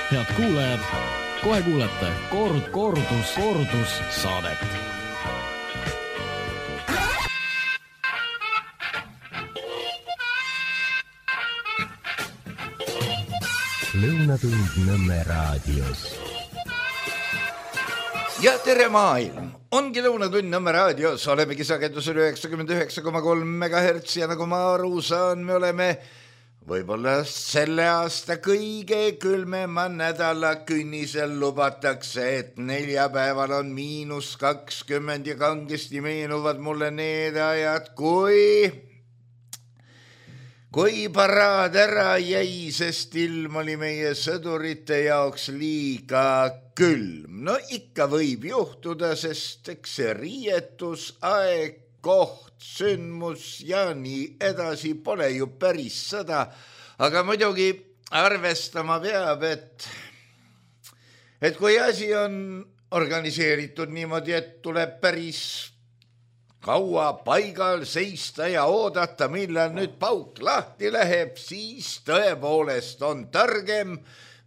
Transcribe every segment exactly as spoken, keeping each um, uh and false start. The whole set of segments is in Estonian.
Head kuulajad, kohe kuulete kord, kordus, kordus saadet. Lõunatund Nõmme raadios. Ja tere maailm! Ongi Lõunatund Nõmme raadios. Olemegi sagedusel üheksakümmend üheksa koma kolm megahertsi ja nagu ma aru saan, me oleme võib-olla selle aasta kõige külmema nädala künnisel. Lubatakse, et neljapäeval on miinus kakskümmend ja kangesti meenuvad mulle need ajad, kui... kui paraad ära jäi, sest ilm oli meie sõdurite jaoks liiga külm. No ikka võib juhtuda, sest eks see riietus, aeg, koht, sündmus ja nii edasi pole ju päris sõda. Aga muidugi arvestama peab, et, et kui asi on organiseeritud niimoodi, et tuleb päris kaua paigal seista ja oodata, millal nüüd pauk lahti läheb, siis tõepoolest on targem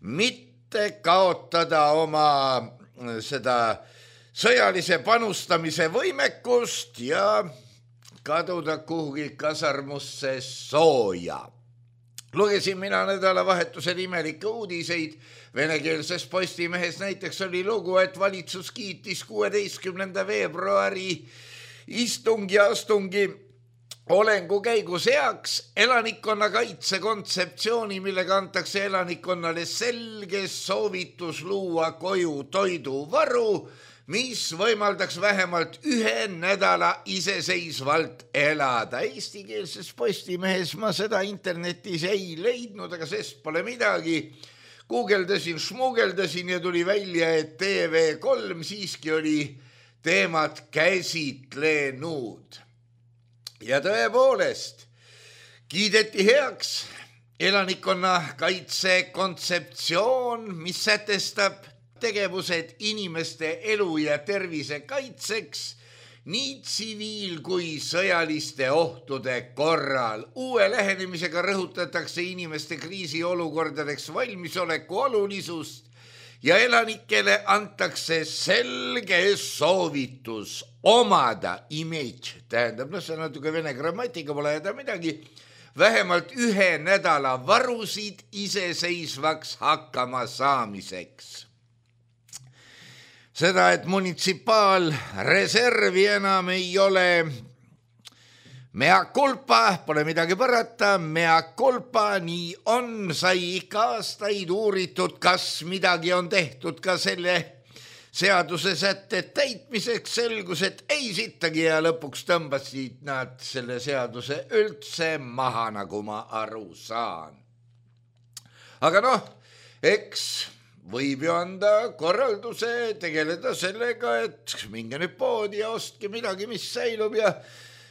mitte kaotada oma seda sõjalise panustamise võimekust ja kaduda kuhugi kasarmusse sooja. Lugesin mina nädalavahetusel imelikke uudiseid. Venekeelses Postimehes näiteks oli lugu, et valitsus kiitis kuueteistkümnenda veebruari istungi astungi olengu käigus heaks elanikkonna kaitse kontseptsiooni, millega antakse elanikkonnale selge soovitus luua koju toiduvaru, mis võimaldaks vähemalt ühe nädala iseseisvalt elada. Eestikeelses Postimehes ma seda internetis ei leidnud, aga sest pole midagi. Guugeldasin, šmugeldasin ja tuli välja, et T V kolm siiski oli teemat käsitlenud. Ja tõepoolest, kiideti heaks elanikkonna kaitse kontseptsioon, mis sätestab tegevused inimeste elu ja tervise kaitseks nii tsiviil- kui sõjaliste ohtude korral. Uue lähenemisega rõhutatakse inimeste kriisiolukordadeks valmisoleku olulisust ja elanikele antakse selge soovitus omada image, tähendab, no see on natuke vene grammatika, pole jäda midagi, vähemalt ühe nädala varusid iseseisvaks hakkama saamiseks. Seda, et munitsipaalreservi enam ei ole mea culpa, pole midagi parata, mea culpa, nii on, sai ikka aastaid uuritud, kas midagi on tehtud ka selle seaduse sätte täitmiseks, selgus, et ei sittagi ja lõpuks tõmbasid nad selle seaduse üldse maha, nagu ma aru saan. Aga noh, eks võib ju anda korralduse tegeleda sellega, et minge nüüd poodi ja ostke midagi, mis säilub ja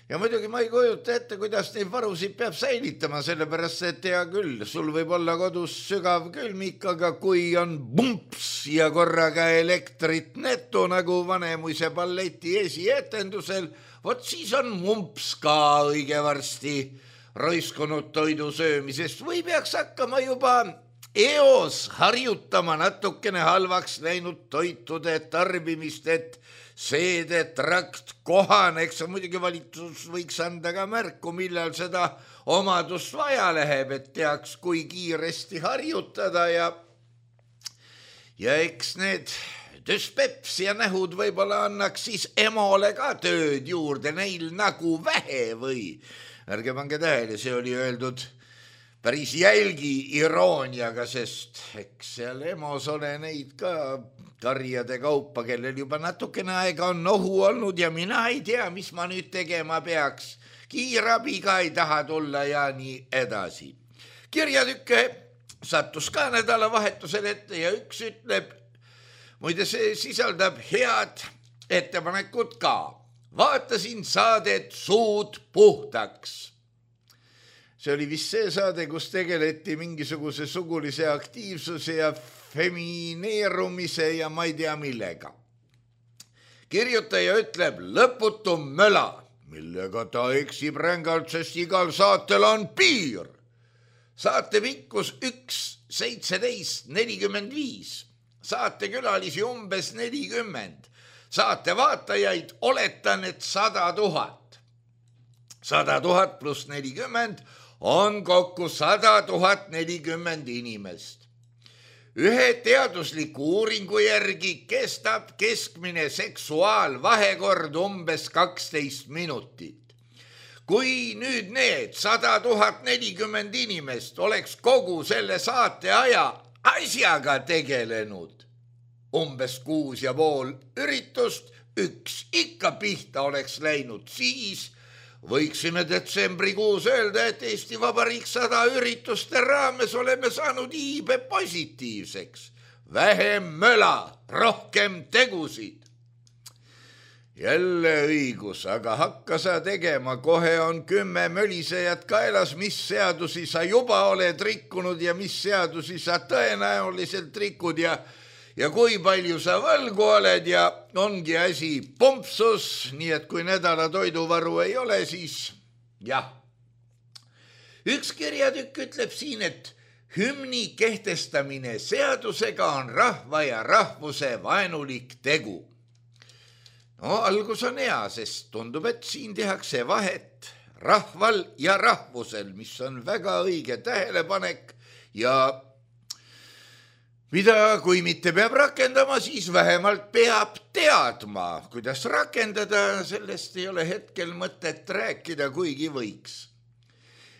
Ja muidugi ma ei kujuta ette, kuidas neid varusid peab säilitama, sellepärast, et hea küll, sul võib olla kodus sügav külmik, aga kui on bumps ja korraga elektrit netu, nagu Vanemuise balleti esietendusel, vot siis on mumps ka õige varsti roiskunud toidu söömisest või peaks hakkama juba eos harjutama natukene halvaks läinud toitude tarbimist, et seedetrakt kohaneks, muidugi valitsus võiks anda ka märku, millal seda omadust vaja läheb, et teaks, kui kiiresti harjutada ja, ja eks need düspeps ja nähud võib-olla annaks siis emole ka tööd juurde, neil nagu vähe või. Ärge pange tähele, see oli öeldud päris jälgi irooniaga, sest eks seal emos ole neid ka karjade kaupa, kellel juba natukene aega on nohu olnud ja mina ei tea, mis ma nüüd tegema peaks. Kiirabiga ei taha tulla ja nii edasi. Kirjatükke sattus ka nädalavahetusel ette ja üks ütleb, muide see sisaldab head ettepanekut ka. Vaatasin saadet Suud puhtaks. See oli vist see saade, kus tegeleti mingisuguse sugulise aktiivsuse ja femineerumise ja ma ei tea millega. Kirjutaja ütleb lõputu möla, millega ta eksib rängalt, sest igal saatel on piir. Saate pikkus üks seitseteist nelikümmend viis, saate külalisi umbes nelikümmend, saate vaatajaid oletan, et sada tuhat. sada tuhat pluss nelikümmend on kokku sada tuhat nelikümmend inimest. Ühe teadusliku uuringu järgi kestab keskmine seksuaalvahekord umbes kaksteist minutit. Kui nüüd need sada tuhat nelikümmend inimest oleks kogu selle saate aja asjaga tegelenud, umbes kuus ja pool üritust, üks ikka pihta oleks läinud, siis võiksime detsembrikuus öelda, et Eesti Vabariik sada ürituste raames oleme saanud iibe positiivseks. Vähem möla, rohkem tegusid. Jälle õigus, aga hakka sa tegema, kohe on kümme mölisejat kaelas, mis seadusi sa juba oled rikkunud ja mis seadusi sa tõenäoliselt rikud ja, ja kui palju sa võlgu oled ja ongi asi pumpsus, nii et kui nädala toiduvaru ei ole, siis jah. Üks kirjatükk ütleb siin, et hümni kehtestamine seadusega on rahva ja rahvuse vaenulik tegu. No algus on hea, sest tundub, et siin tehakse vahet rahval ja rahvusel, mis on väga õige tähelepanek ja mida, kui mitte peab rakendama, siis vähemalt peab teadma, kuidas rakendada, sellest ei ole hetkel mõtet rääkida, kuigi võiks.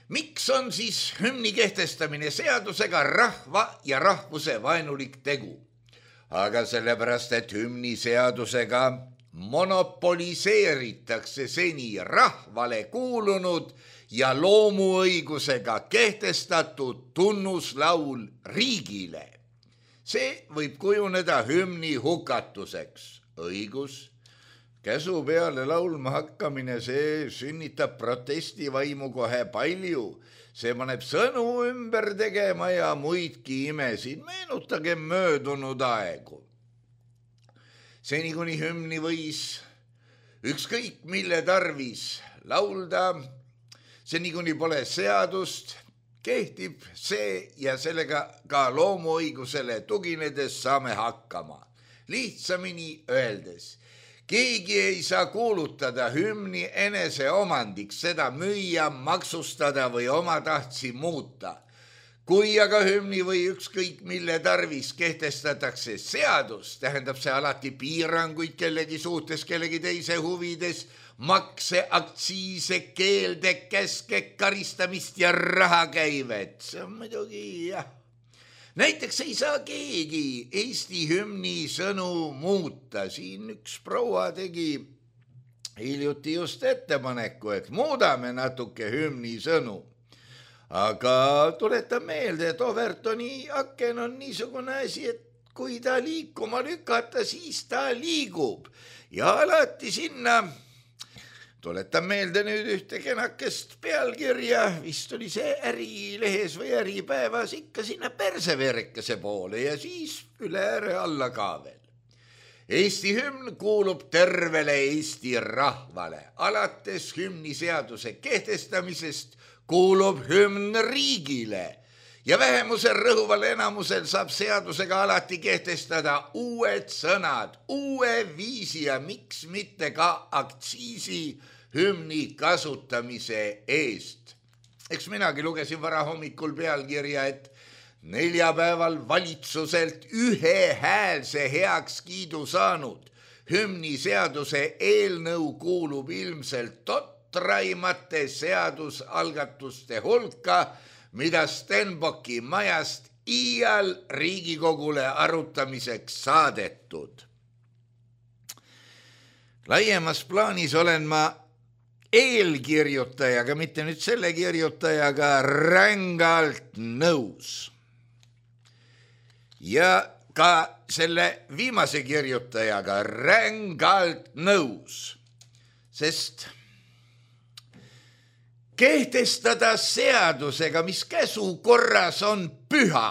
Miks on siis hümni kehtestamine seadusega rahva ja rahvuse vaenulik tegu? Aga sellepärast, et hümni seadusega monopoliseeritakse seni rahvale kuulunud ja loomuõigusega kehtestatud tunnuslaul riigile. See võib kujuneda hümni hukatuseks. Õigus, käsu peale laulma hakkamine, see sünnitab protestivaimu kohe palju. See paneb sõnu ümber tegema ja muidki imesid. Meenutage möödunud aegu. Seni kuni hümni võis ükskõik mille tarvis laulda, seni kuni pole seadust, kehtib see ja sellega ka loomuõigusele tuginedes saame hakkama. Lihtsamini öeldes, keegi ei saa kuulutada hümni enese omandiks, seda müüa, maksustada või omatahtsi muuta. Kui aga hümni või ükskõik mille tarvis kehtestatakse seadus, tähendab see alati piiranguid kellegi suhtes, kellegi teise huvides, makse, aktsiise, keelde, käske, karistamist ja rahakäivet. See on muidugi jah. Näiteks ei saa keegi Eesti hümni sõnu muuta. Siin üks proua tegi hiljuti just ettepaneku, et muudame natuke hümni sõnu. Aga tuletan meelde, et Overtoni aken on niisugune asi, et kui ta liikuma lükata, siis ta liigub. Ja alati sinna, tuletan meelde nüüd ühte kenakest pealkirja, vist oli see Ärilehes või Äripäevas, ikka sinna perseverekese poole ja siis üle ääre alla ka veel. Eesti hümn kuulub tervele Eesti rahvale. Alates hümniseaduse kehtestamisest kuulub hümn riigile ja vähemuse rõhuval enamusel saab seadusega alati kehtestada uued sõnad, uue viisi ja miks mitte ka aktsiisi hümni kasutamise eest. Eks minagi lugesin varahommikul pealkirja, et neljapäeval valitsuselt ühehäälse heakskiidu saanud hümniseaduse eelnõu kuulub ilmselt tot traimate seadusalgatuste hulka, mida Stenbocki majast iial Riigikogule arutamiseks saadetud. Laiemas plaanis olen ma eelkirjutajaga, mitte nüüd selle kirjutajaga, rängalt nõus. Ja ka selle viimase kirjutajaga rängalt nõus, sest kehtestada seadusega, mis käsu korras on püha.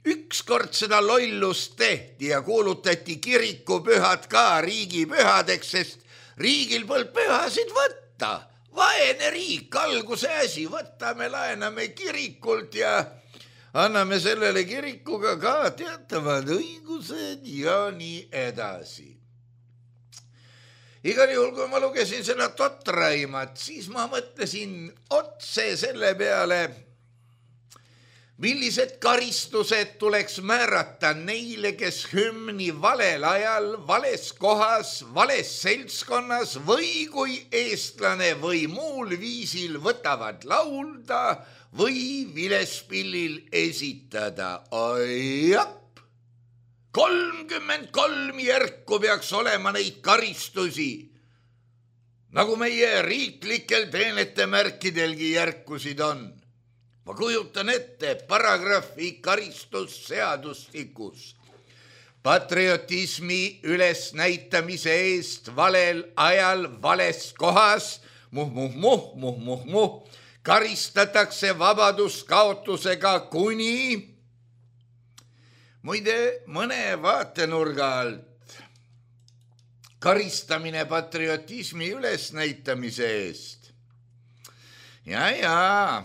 Ükskord seda lollust tehti ja kuulutati kirikupühad ka riigipühadeks, sest riigil polnud pühasid võtta. vaene riik, alguse asi, võtame, laename kirikult ja anname sellele kirikuga ka teatavad õigused ja nii edasi. Igal juhul, kui ma lugesin seda Totraimat, siis ma mõtlesin otse selle peale, millised karistused tuleks määrata neile, kes hümni valel ajal, vales kohas, vales seltskonnas või kui eestlane või muul viisil võtavad laulda või vilespillil esitada. Ajap! kolmkümmend kolm järku peaks olema neid karistusi, nagu meie riiklikel teenetemärkidelgi järkusid on. Ma kujutan ette paragrahvi karistusseadustikus. Patriotismi ülesnäitamise eest valel ajal vales kohas, muh, muh, muh, muh, muh, muh, karistatakse vabaduskaotusega kuni muide mõne vaatenurga alt karistamine patriotismi ülesnäitamise eest. Ja, ja,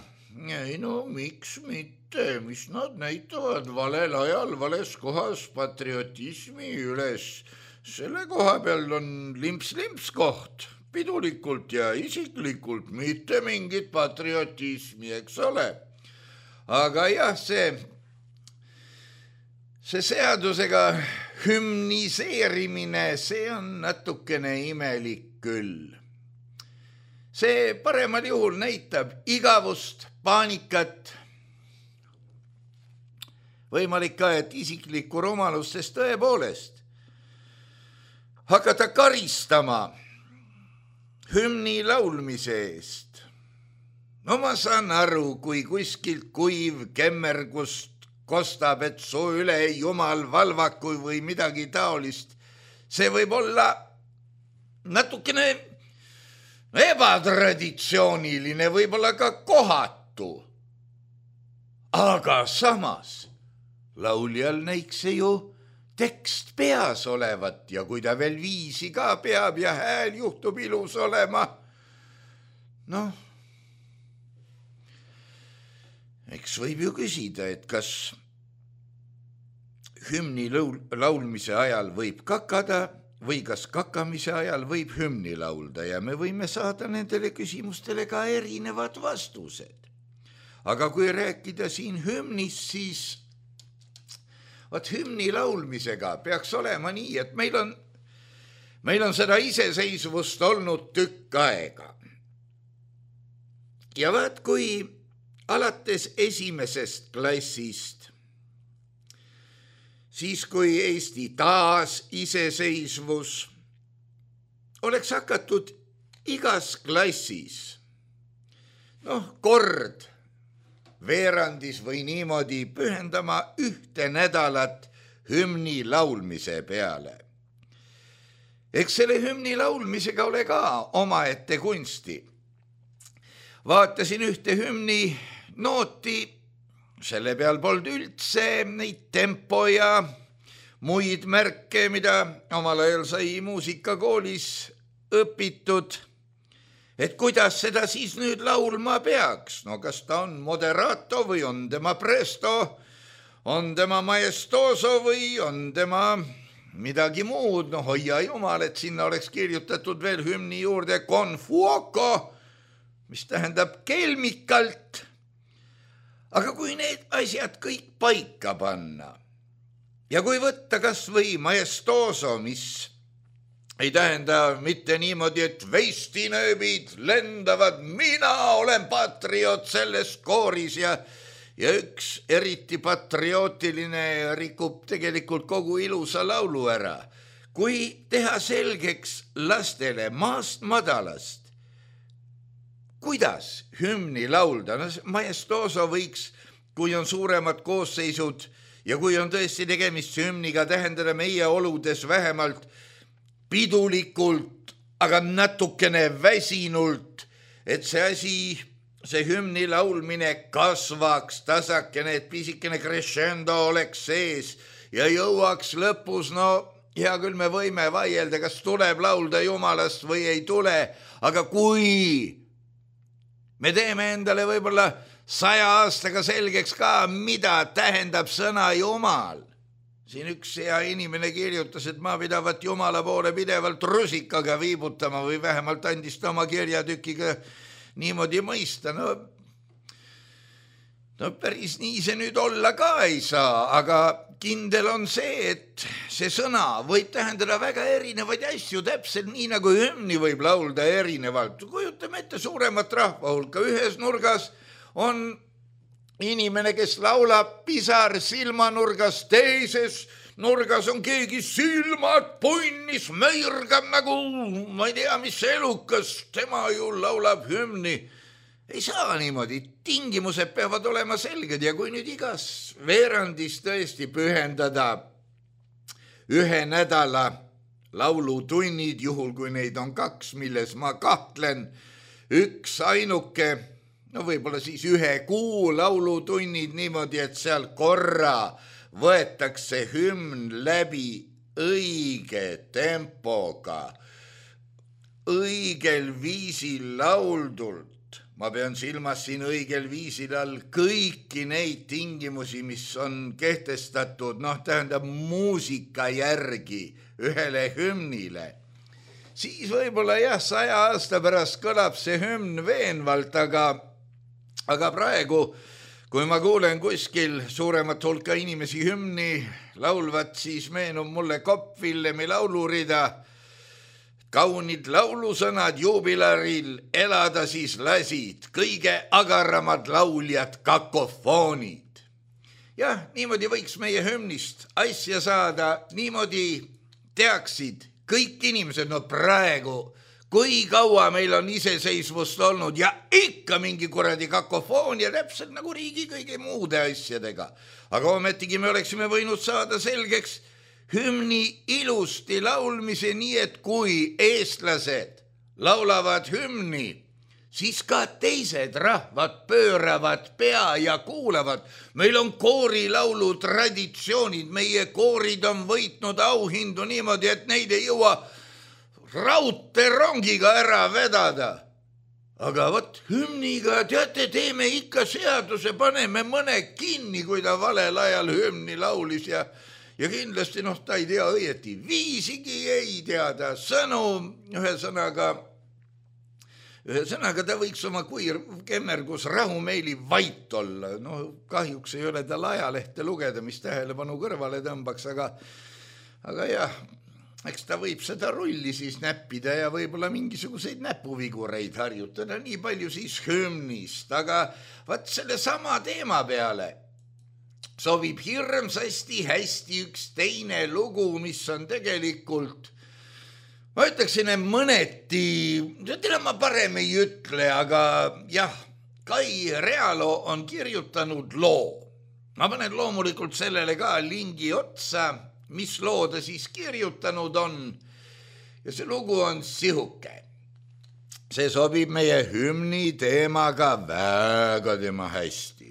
ei no miks mitte, mis nad näitavad valel ajal, vales kohas patriotismi üles. Selle koha peal on limps-limps koht, pidulikult ja isiklikult, mitte mingit patriotismi, eks ole. Aga jah, see See seadusega hümniseerimine, see on natukene imelik küll. See paremal juhul näitab igavust, paanikat. Võimalik ka, et isiklikku rumalust, sest tõepoolest hakata karistama hümni laulmise eest. No ma saan aru, kui kuskilt kuiv kemmergust kostab, et soo üle jumal valvaku või midagi taolist. See võib olla natukene ebatraditsiooniline, võib-olla ka kohatu. Aga samas lauljal näiks see ju tekst peas olevat ja kui ta veel viisi ka peab ja hääl juhtub ilus olema, noh, eks võib ju küsida, et kas hümni laulmise ajal võib kakada või kas kakamise ajal võib hümni laulda ja me võime saada nendele küsimustele ka erinevad vastused. Aga kui rääkida siin hümnist, siis vaat hümni laulmisega peaks olema nii, et meil on, meil on seda iseseisvust olnud tükk aega. Ja vaat kui alates esimesest klassist, siis kui Eesti taas iseseisvus, oleks hakatud igas klassis, noh, kord veerandis või niimoodi pühendama ühte nädalat hümni laulmise peale. Eks selle hümni laulmisega ole ka omaette kunsti. Vaatasin ühte hümni nooti, selle peal polnud üldse neid tempo ja muid märke, mida omal ajal sai muusikakoolis õpitud, et kuidas seda siis nüüd laulma peaks. No kas ta on moderato või on tema presto, on tema maestoso või on tema midagi muud. No hoia jumal, et sinna oleks kirjutatud veel hümni juurde con fuoco, mis tähendab kelmikalt. Aga kui need asjad kõik paika panna ja kui võtta kas või maestoso, mis ei tähenda mitte niimoodi, et veistinööbid lendavad, mina olen patriot selles kooris ja, ja üks eriti patriotiline rikub tegelikult kogu ilusa laulu ära. Kui teha selgeks lastele maast madalast, kuidas hümni laulda, no maestoso võiks, kui on suuremad koosseisud ja kui on tõesti tegemist hümniga, tähendada meie oludes vähemalt pidulikult, aga natukene väsinult, et see asi, see hümni laulmine kasvaks tasakene, et pisikene crescendo oleks sees ja jõuaks lõpus, no hea küll me võime vaielda, kas tuleb laulda jumalast või ei tule, aga kui me teeme endale võib-olla saja aastaga selgeks ka, mida tähendab sõna Jumal. Siin üks hea inimene kirjutas, et ma pidavat Jumala poole pidevalt rusikaga viibutama või vähemalt andis ta oma kirjatükiga niimoodi mõista. No, no päris nii see nüüd olla ka ei saa, aga kindel on see, et see sõna võib tähendada väga erinevaid asju, täpselt nii nagu hümni võib laulda erinevalt. Kujutame ette suuremat rahvahulka, ühes nurgas on inimene, kes laulab pisar silmanurgas, teises nurgas on keegi silmad punnis, möirgab nagu, ma ei tea, mis elukas, tema ju laulab hümni. Ei saa niimoodi, tingimused peavad olema selged ja kui nüüd igas veerandis tõesti pühendada ühe nädala laulutunnid, juhul kui neid on kaks, milles ma kahtlen, üks ainuke, no võib-olla siis ühe kuu laulutunnid niimoodi, et seal korra võetakse hümn läbi õige tempoga, õigel viisil lauldult. Ma pean silmas siin õigel viisil all kõiki neid tingimusi, mis on kehtestatud, noh, tähendab muusika järgi ühele hümnile. Siis võib-olla jah, saja aasta pärast kõlab see hümn veenvalt, aga Aga praegu, kui ma kuulen kuskil suuremat hulka inimesi hümni laulvat, siis meenub mulle Kopp Villemi laulurida. Kaunid laulusõnad juubilaril elada siis lasid, kõige agaramad lauljad kakofoonid. Jah, niimoodi võiks meie hümnist asja saada, niimoodi teaksid kõik inimesed, no praegu kui kaua meil on iseseisvust olnud ja ikka mingi kuradi kakofoonia, täpselt nagu riigi kõige muude asjadega. Aga ometigi me oleksime võinud saada selgeks hümni ilusti laulmise nii, et kui eestlased laulavad hümni, siis ka teised rahvad pööravad pea ja kuulavad. Meil on koorilaulu traditsioonid, meie koorid on võitnud auhindu niimoodi, et neid ei jõua raudteerongiga ära vedada. Aga võt hümniga, teate, teeme ikka seaduse, paneme mõne kinni, kui ta valel ajal hümni laulis ja, ja kindlasti noh, ta ei tea õieti, viisigi ei teada, sõnu, ühesõnaga, ühesõnaga ta võiks oma kuir kemmergus rahumeeli vait olla. No kahjuks ei ole tal ajalehte lugeda, mis tähelepanu kõrvale tõmbaks, aga, aga jah, eks ta võib seda rulli siis näppida ja võib-olla mingisuguseid näpuvigureid harjutada, nii palju siis hümnist, aga vaat selle sama teema peale sobib hirmsasti hästi üks teine lugu, mis on tegelikult, ma ütleksin, mõneti, seda ma parem ei ütle, aga jah, Kai Realo on kirjutanud loo. Ma panen loomulikult sellele ka lingi otsa, mis loo ta siis kirjutanud on ja see lugu on sihuke. See sobib meie hümni teemaga väga tema hästi.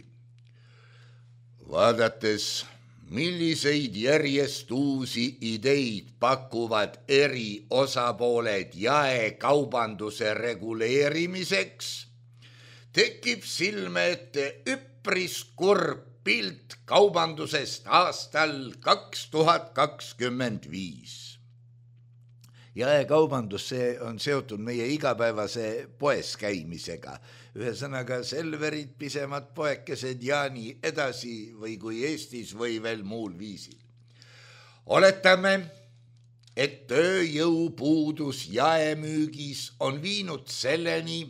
Vaadates, milliseid järjest uusi ideid pakuvad eri osapooled jaekaubanduse reguleerimiseks, tekib silme ette üpris kurb pilt kaubandusest aastal kaks tuhat kakskümmend viis. Jaekaubandus, see on seotud meie igapäevase poes käimisega. Ühesõnaga Selverid, pisemad poekesed ja nii edasi või kui Eestis või veel muul viisil. Oletame, et tööjõupuudus jaemüügis on viinud selleni,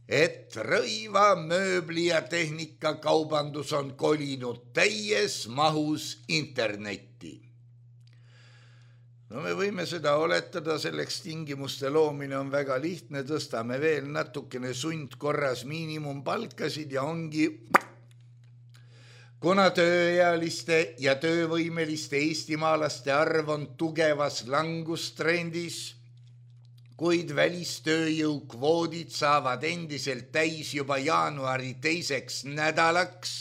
et rõiva, mööbli ja tehnikakaubandus on kolinud täies mahus internetti. No me võime seda oletada, selleks tingimuste loomine on väga lihtne, tõstame veel natukene sundkorras miinimumpalkasid ja ongi, kuna tööealiste ja töövõimeliste eestimaalaste arv on tugevas langustrendis, kuid välistööjõukvoodid saavad endiselt täis juba jaanuari teiseks nädalaks.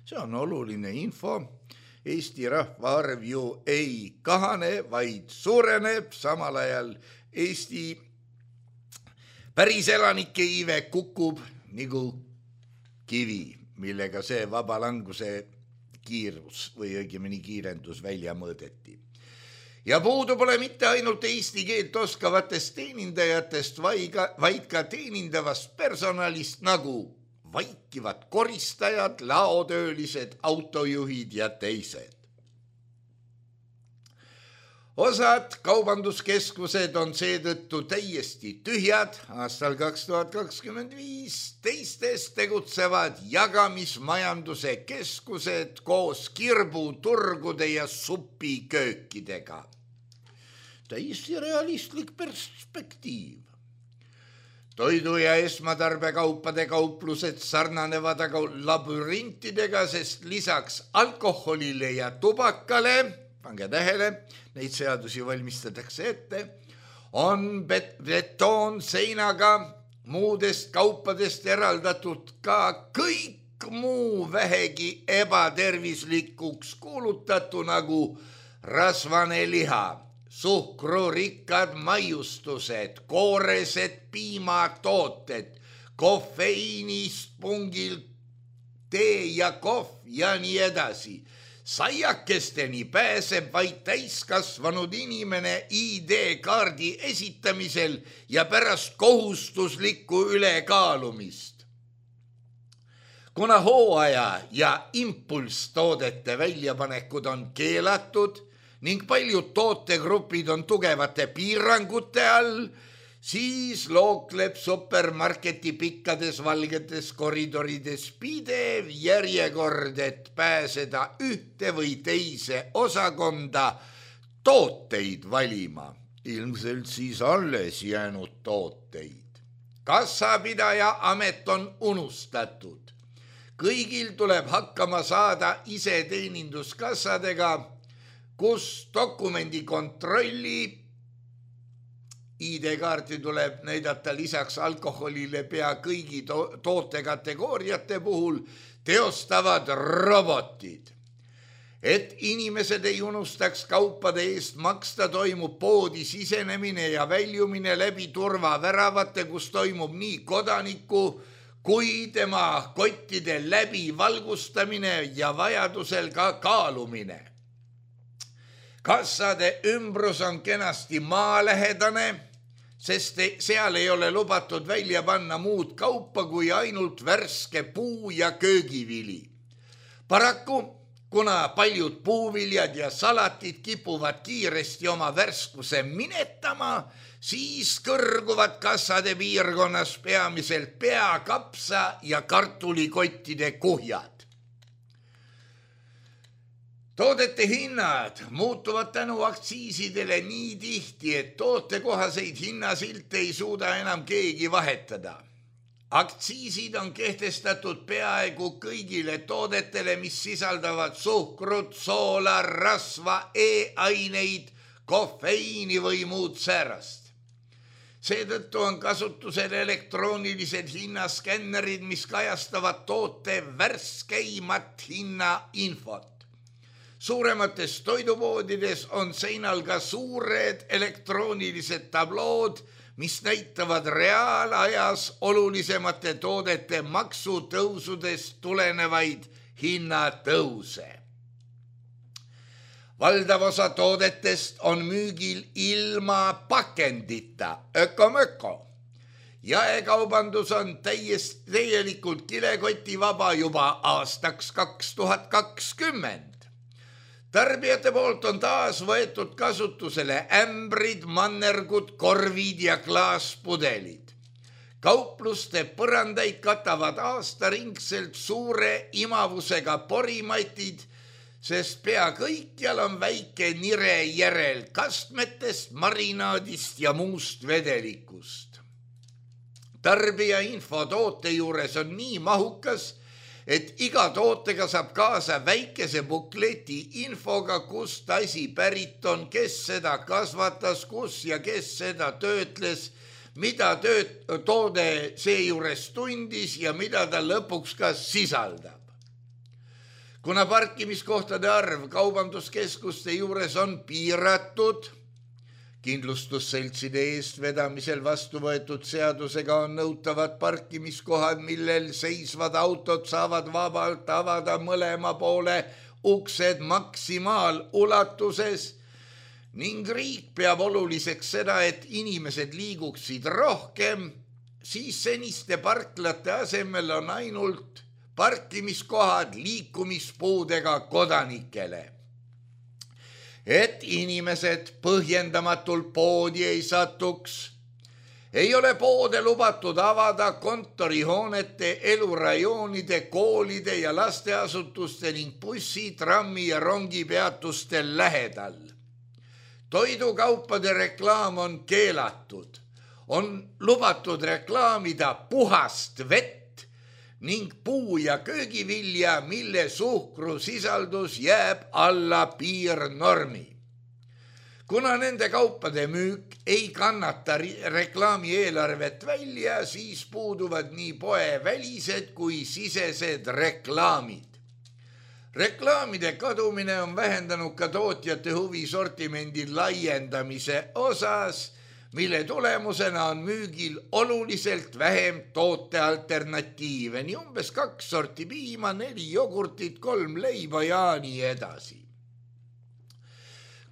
See on oluline info. Eesti rahvaarv ju ei kahane, vaid suureneb. Samal ajal Eesti päris elanike iive kukub nagu kivi, millega see vabalanguse kiirus või õigemini kiirendus välja mõõdeti. Ja puudu pole mitte ainult eesti keelt oskavatest teenindajatest, vaid ka teenindavast personalist nagu vaikivad koristajad, laotöölised, autojuhid ja teised. Osad kaubanduskeskused on seetõttu täiesti tühjad aastal kaks tuhat kakskümmend viis, teistes tegutsevad jagamismajanduse keskused koos kirbuturgude ja supiköökidega. Täiesti realistlik perspektiiv. Toidu- ja esmatarbekaupade kauplused sarnanevad aga labürintidega, sest lisaks alkoholile ja tubakale, pange tähele, neid seadusi valmistatakse ette, on bet- betoon seinaga muudest kaupadest eraldatud ka kõik muu vähegi ebatervislikuks kuulutatu nagu rasvane liha, suhkrurikkad maiustused, kooresed piimatooted, kofeiinist pungil tee ja kohv ja nii edasi. Saiakesteni pääseb vaid täiskasvanud inimene I D-kaardi esitamisel ja pärast kohustuslikku ülekaalumist. Kuna hooaja ja impulstoodete väljapanekud on keelatud ning paljud tootegrupid on tugevate piirangute all, siis lookleb supermarketi pikkades valgetes koridorides pidev järjekord, et pääseda ühte või teise osakonda tooteid valima. Ilmselt siis alles jäänud tooteid. Kassapidaja amet on unustatud. Kõigil tuleb hakkama saada iseteeninduskassadega, kus dokumendi kontrolli I D-kaarti tuleb näidata lisaks alkoholile pea kõigi to- tootekategooriate puhul teostavad robotid. Et inimesed ei unustaks kaupade eest maksta, toimub poodi sisenemine ja väljumine läbi turvaväravate, kus toimub nii kodaniku kui tema kottide läbi valgustamine ja vajadusel ka kaalumine. Kassade ümbrus on kenasti maalähedane, sest seal ei ole lubatud välja panna muud kaupa kui ainult värske puu ja köögivili. Paraku, kuna paljud puuviljad ja salatid kipuvad kiiresti oma värskuse minetama, siis kõrguvad kassade piirkonnas peamiselt pea, kapsa ja kartulikottide kuhjad. Toodete hinnad muutuvad tänu aktsiisidele nii tihti, et tootekohaseid hinnasilte ei suuda enam keegi vahetada. Aktsiisid on kehtestatud peaaegu kõigile toodetele, mis sisaldavad suhkrut, soola, rasva, e-aineid, kofeiini või muud säärast. Seetõttu on kasutusel elektroonilised hinnaskännerid, mis kajastavad toote värskeimat hinnainfot. Suuremates toidupoodides on seinal ka suured elektroonilised tablood, mis näitavad reaalajas olulisemate toodete maksutõusudest tulenevaid hinnatõuse. Valdav osa toodetest on müügil ilma pakendita, öko-möko. Jaekaubandus on täiesti täielikult kilekotivaba juba aastaks kaks tuhat kakskümmend. Tarbijate poolt on taas võetud kasutusele ämbrid, mannergud, korvid ja klaaspudelid. Kaupluste põrandaid katavad aastaringselt suure imavusega porimatid, sest pea kõikjal on väike nire järel kastmetest, marinaadist ja muust vedelikust. Tarbija info toote juures on nii mahukas, et iga tootega saab kaasa väikese bukleti infoga, kust asi pärit on, kes seda kasvatas, kus ja kes seda töötles, mida tööt, toode seejuures tundis ja mida ta lõpuks ka sisaldab. Kuna parkimiskohtade arv kaubanduskeskuste juures on piiratud, kindlustusseltside eestvedamisel vastu võetud seadusega on nõutavad parkimiskohad, millel seisvad autod saavad vabalt avada mõlema poole uksed maksimaalulatuses ning riik peab oluliseks seda, et inimesed liiguksid rohkem, siis seniste parklate asemel on ainult parkimiskohad liikumispuudega kodanikele. Et inimesed põhjendamatult poodi ei satuks, ei ole poode lubatud avada kontorihoonete, elurajoonide, koolide ja lasteasutuste ning bussi, trammi ja rongipeatuste lähedal. Toidukaupade reklaam on keelatud. On lubatud reklaamida puhast vett ning puu- ja köögivilja, mille suhkrusisaldus jääb alla piirnormi. Kuna nende kaupade müük ei kannata reklaami eelarvet välja, siis puuduvad nii poe välised kui sisesed reklaamid. Reklaamide kadumine on vähendanud ka tootjate huvi sortimendi laiendamise osas, mille tulemusena on müügil oluliselt vähem tootealternatiive, nii umbes kaks sorti piima, neli jogurtit, kolm leiba ja nii edasi.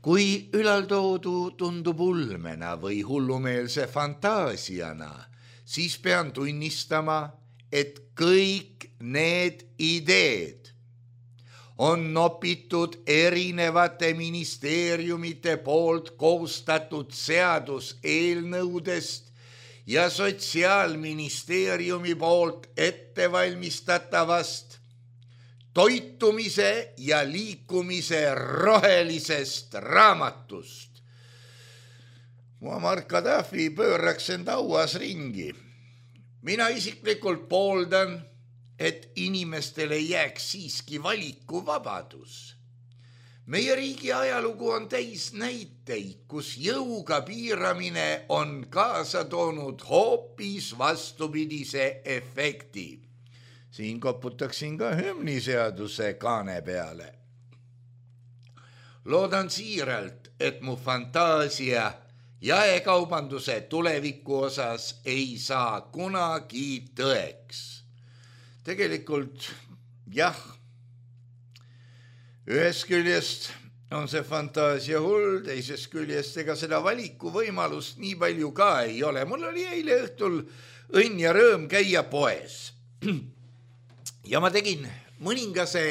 Kui ülaltoodu tundub ulmena või hullumeelse fantaasiana, siis pean tunnistama, et kõik need ideed on nopitud erinevate ministeeriumite poolt koostatud seaduseelnõudest ja Sotsiaalministeeriumi poolt ettevalmistatavast toitumise ja liikumise rohelisest raamatust. Muammar Gaddafi pööraks end hauas ringi. Mina isiklikult pooldan, et inimestele jääks siiski valikuvabadus. Meie riigi ajalugu on täis näiteid, kus jõuga piiramine on kaasa toonud hoopis vastupidise efekti. Siin koputaksin ka hümniseaduse kaane peale. Loodan siiralt, et mu fantaasia jaekaubanduse tuleviku osas ei saa kunagi tõeks. Tegelikult jah, ühest küljest on see fantaasia hull, teisest küljest ega seda valiku võimalust nii palju ka ei ole. Mul oli eile õhtul õnn ja rõõm käia poes. Ja ma tegin mõningase,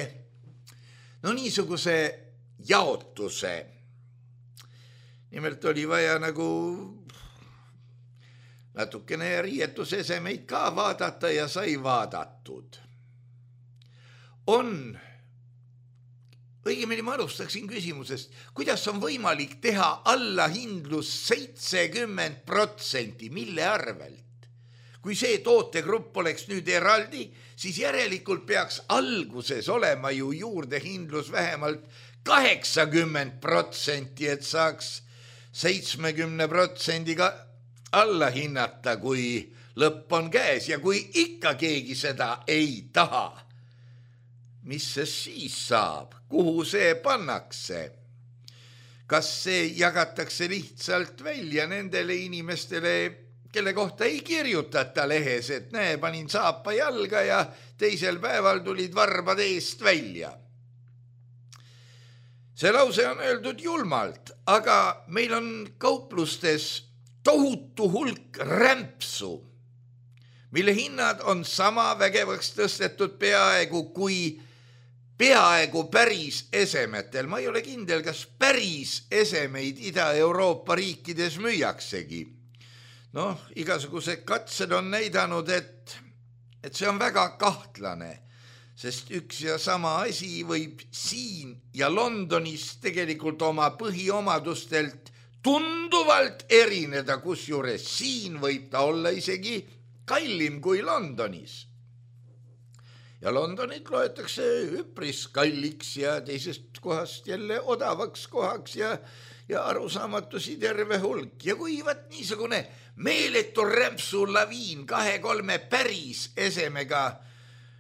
no niisuguse jaotuse. Nimelt oli vaja nagu natukene riietusesemeid ka vaadata ja sai vaadatud. On, õigemini ma alustaksin küsimusest, kuidas on võimalik teha allahindlus seitsekümmend protsenti, mille arvelt? Kui see tootegrupp oleks nüüd eraldi, siis järelikult peaks alguses olema ju juurdehindlus vähemalt kaheksakümmend protsenti, et saaks seitsekümmend protsenti alla hinnata, kui lõpp on käes ja kui ikka keegi seda ei taha. Mis see siis saab? Kuhu see pannakse? Kas see jagatakse lihtsalt välja nendele inimestele, kelle kohta ei kirjutata lehes, et näe, panin saapa jalga ja teisel päeval tulid varbad eest välja? See lause on öeldud julmalt, aga meil on kauplustes tohutu hulk rämpsu, mille hinnad on sama vägevaks tõstetud peaaegu kui peaaegu päris esemetel. Ma ei ole kindel, kas päris esemeid Ida-Euroopa riikides müüaksegi. Noh, igasugused katsed on näidanud, et, et see on väga kahtlane, sest üks ja sama asi võib siin ja Londonis tegelikult oma põhiomadustelt tunduvalt erineda, kusjuures siin võib ta olla isegi kallim kui Londonis. Ja Londonit loetakse üpris kalliks ja teisest kohast jälle odavaks kohaks ja, ja arusaamatusi terve hulk. Ja kui võt niisugune meeletu rämpsu laviin kahe-kolme päris esemega,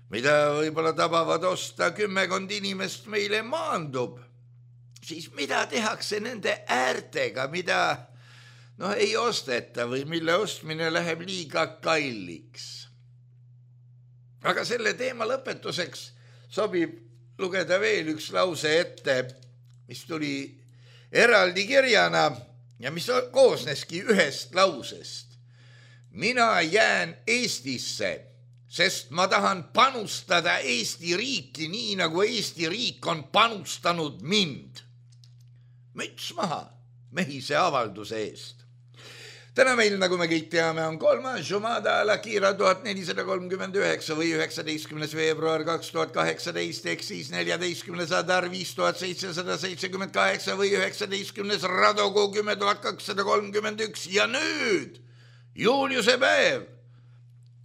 mida võib-olla tabavad osta kümmekond inimest meile maandub, siis mida tehakse nende äärtega, mida noh, ei osteta või mille ostmine läheb liiga kalliks. Aga selle teema lõpetuseks sobib lugeda veel üks lause ette, mis tuli eraldi kirjana ja mis koosneski ühest lausest. Mina jään Eestisse, sest ma tahan panustada Eesti riiki nii, nagu Eesti riik on panustanud mind. Müts maha mehise avalduse eest. Täna meil, nagu me kõik teame, on kolmas Jumada Al-Akhira tuhat nelisada kolmkümmend üheksa või üheksateistkümnes veebruar kaks tuhat kaheksateist, ehk siis neljateistkümnes Adar viis tuhat seitsesada seitsekümmend kaheksa või üheksateistkümnes Radogu kümme tuhat kakssada kolmkümmend üks ja nüüd Juliuse päev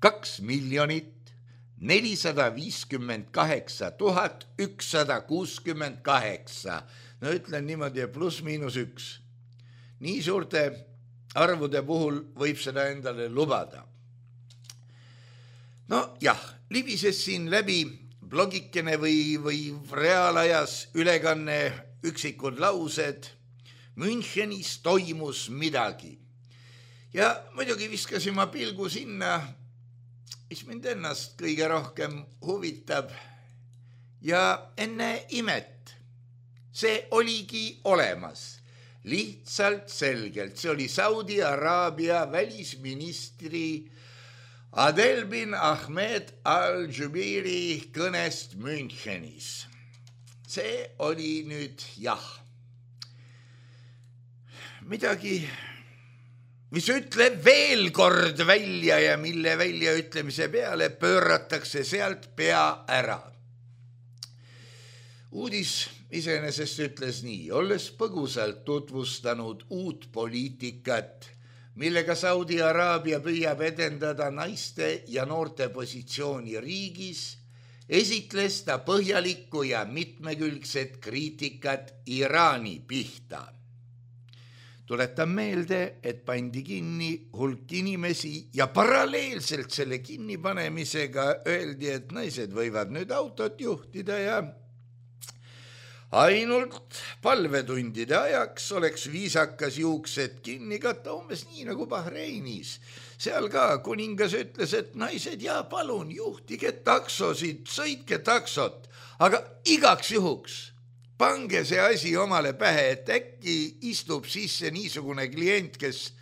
kaks miljonit nelisada viiskümmend kaheksa tuhat ükssada kuuskümmend kaheksa. No ütlen niimoodi, pluss miinus üks. Nii suurte arvude puhul võib seda endale lubada. No jah, libises siin läbi blogikene või, või reaalajas ülekanne üksikud laused. Münchenis toimus midagi. Ja muidugi viskasin ma pilgu sinna, mis mind ennast kõige rohkem huvitab. Ja enne imet, see oligi olemas. Lihtsalt selgelt, see oli Saudi Araabia välisministri Adel bin Ahmed al-Jubeiri kõnest Münchenis. See oli nüüd jah. Midagi, mis ütleb veel kord välja ja mille väljaütlemise peale pööratakse sealt pea ära. Uudis iseenesest ütles nii, olles põgusalt tutvustanud uut poliitikat, millega Saudi Araabia püüab edendada naiste ja noorte positsiooni riigis, esitles ta põhjalikku ja mitmekülgset kriitikat Iraani pihta. Tuletan meelde, et pandi kinni hulk inimesi ja paralleelselt selle kinnipanemisega öeldi, et naised võivad nüüd autot juhtida ja ainult palvetundide ajaks oleks viisakas juuksed kinni katta, umbes nii nagu Bahreinis. Seal ka kuningas ütles, et naised, ja palun juhtige taksosid, sõitke taksot, aga igaks juhuks pange see asi omale pähe, et äkki istub sisse niisugune klient, kes,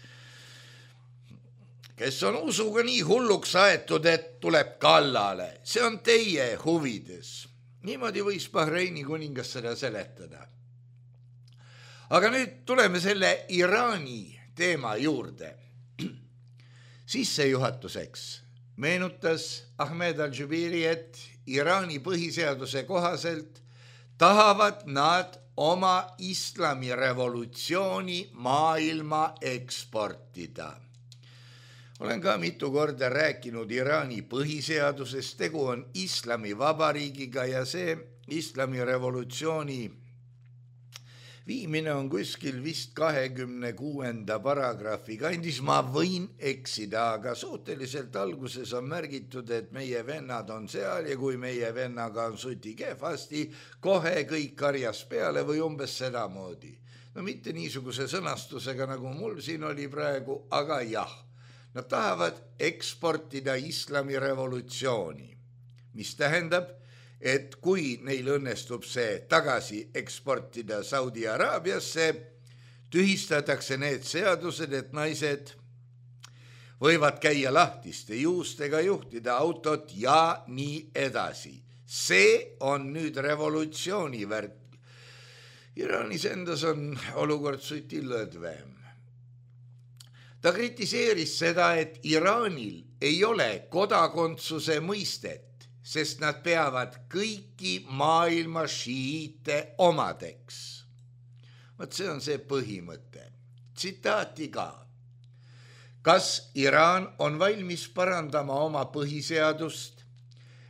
kes on usuga nii hulluks aetud, et tuleb kallale. See on teie huvides. Niimoodi võis Bahreini kuningas seda seletada. Aga nüüd tuleme selle Iraani teema juurde. Sissejuhatuseks meenutas Ahmed al-Jubeiri, et Iraani põhiseaduse kohaselt tahavad nad oma islamirevolutsiooni maailma eksportida. Olen ka mitu korda rääkinud Iraani põhiseadusest, tegu on islami vabariigiga ja see islami revolutsiooni viimine on kuskil vist kahekümne kuuenda paragrahvi kandis. Ma võin eksida, aga suhteliselt alguses on märgitud, et meie vennad on seal ja kui meie vennaga on suti kehvasti, kohe kõik karjas peale või umbes sedamoodi. No mitte niisuguse sõnastusega, nagu mul siin oli praegu, aga jah. Nad tahavad eksportida islami revolutsiooni, mis tähendab, et kui neil õnnestub see tagasi eksportida Saudi Araabiasse, tühistatakse need seadused, et naised võivad käia lahtiste juustega, juhtida autot ja nii edasi. See on nüüd revolutsiooni värk. Iraanis endas on olukord suti lõdvem. Ta kritiseeris seda, et Iraanil ei ole kodakondsuse mõistet, sest nad peavad kõiki maailma šiiite omadeks. Vaat see on see põhimõte. Tsitaati ka. Kas Iraan on valmis parandama oma põhiseadust,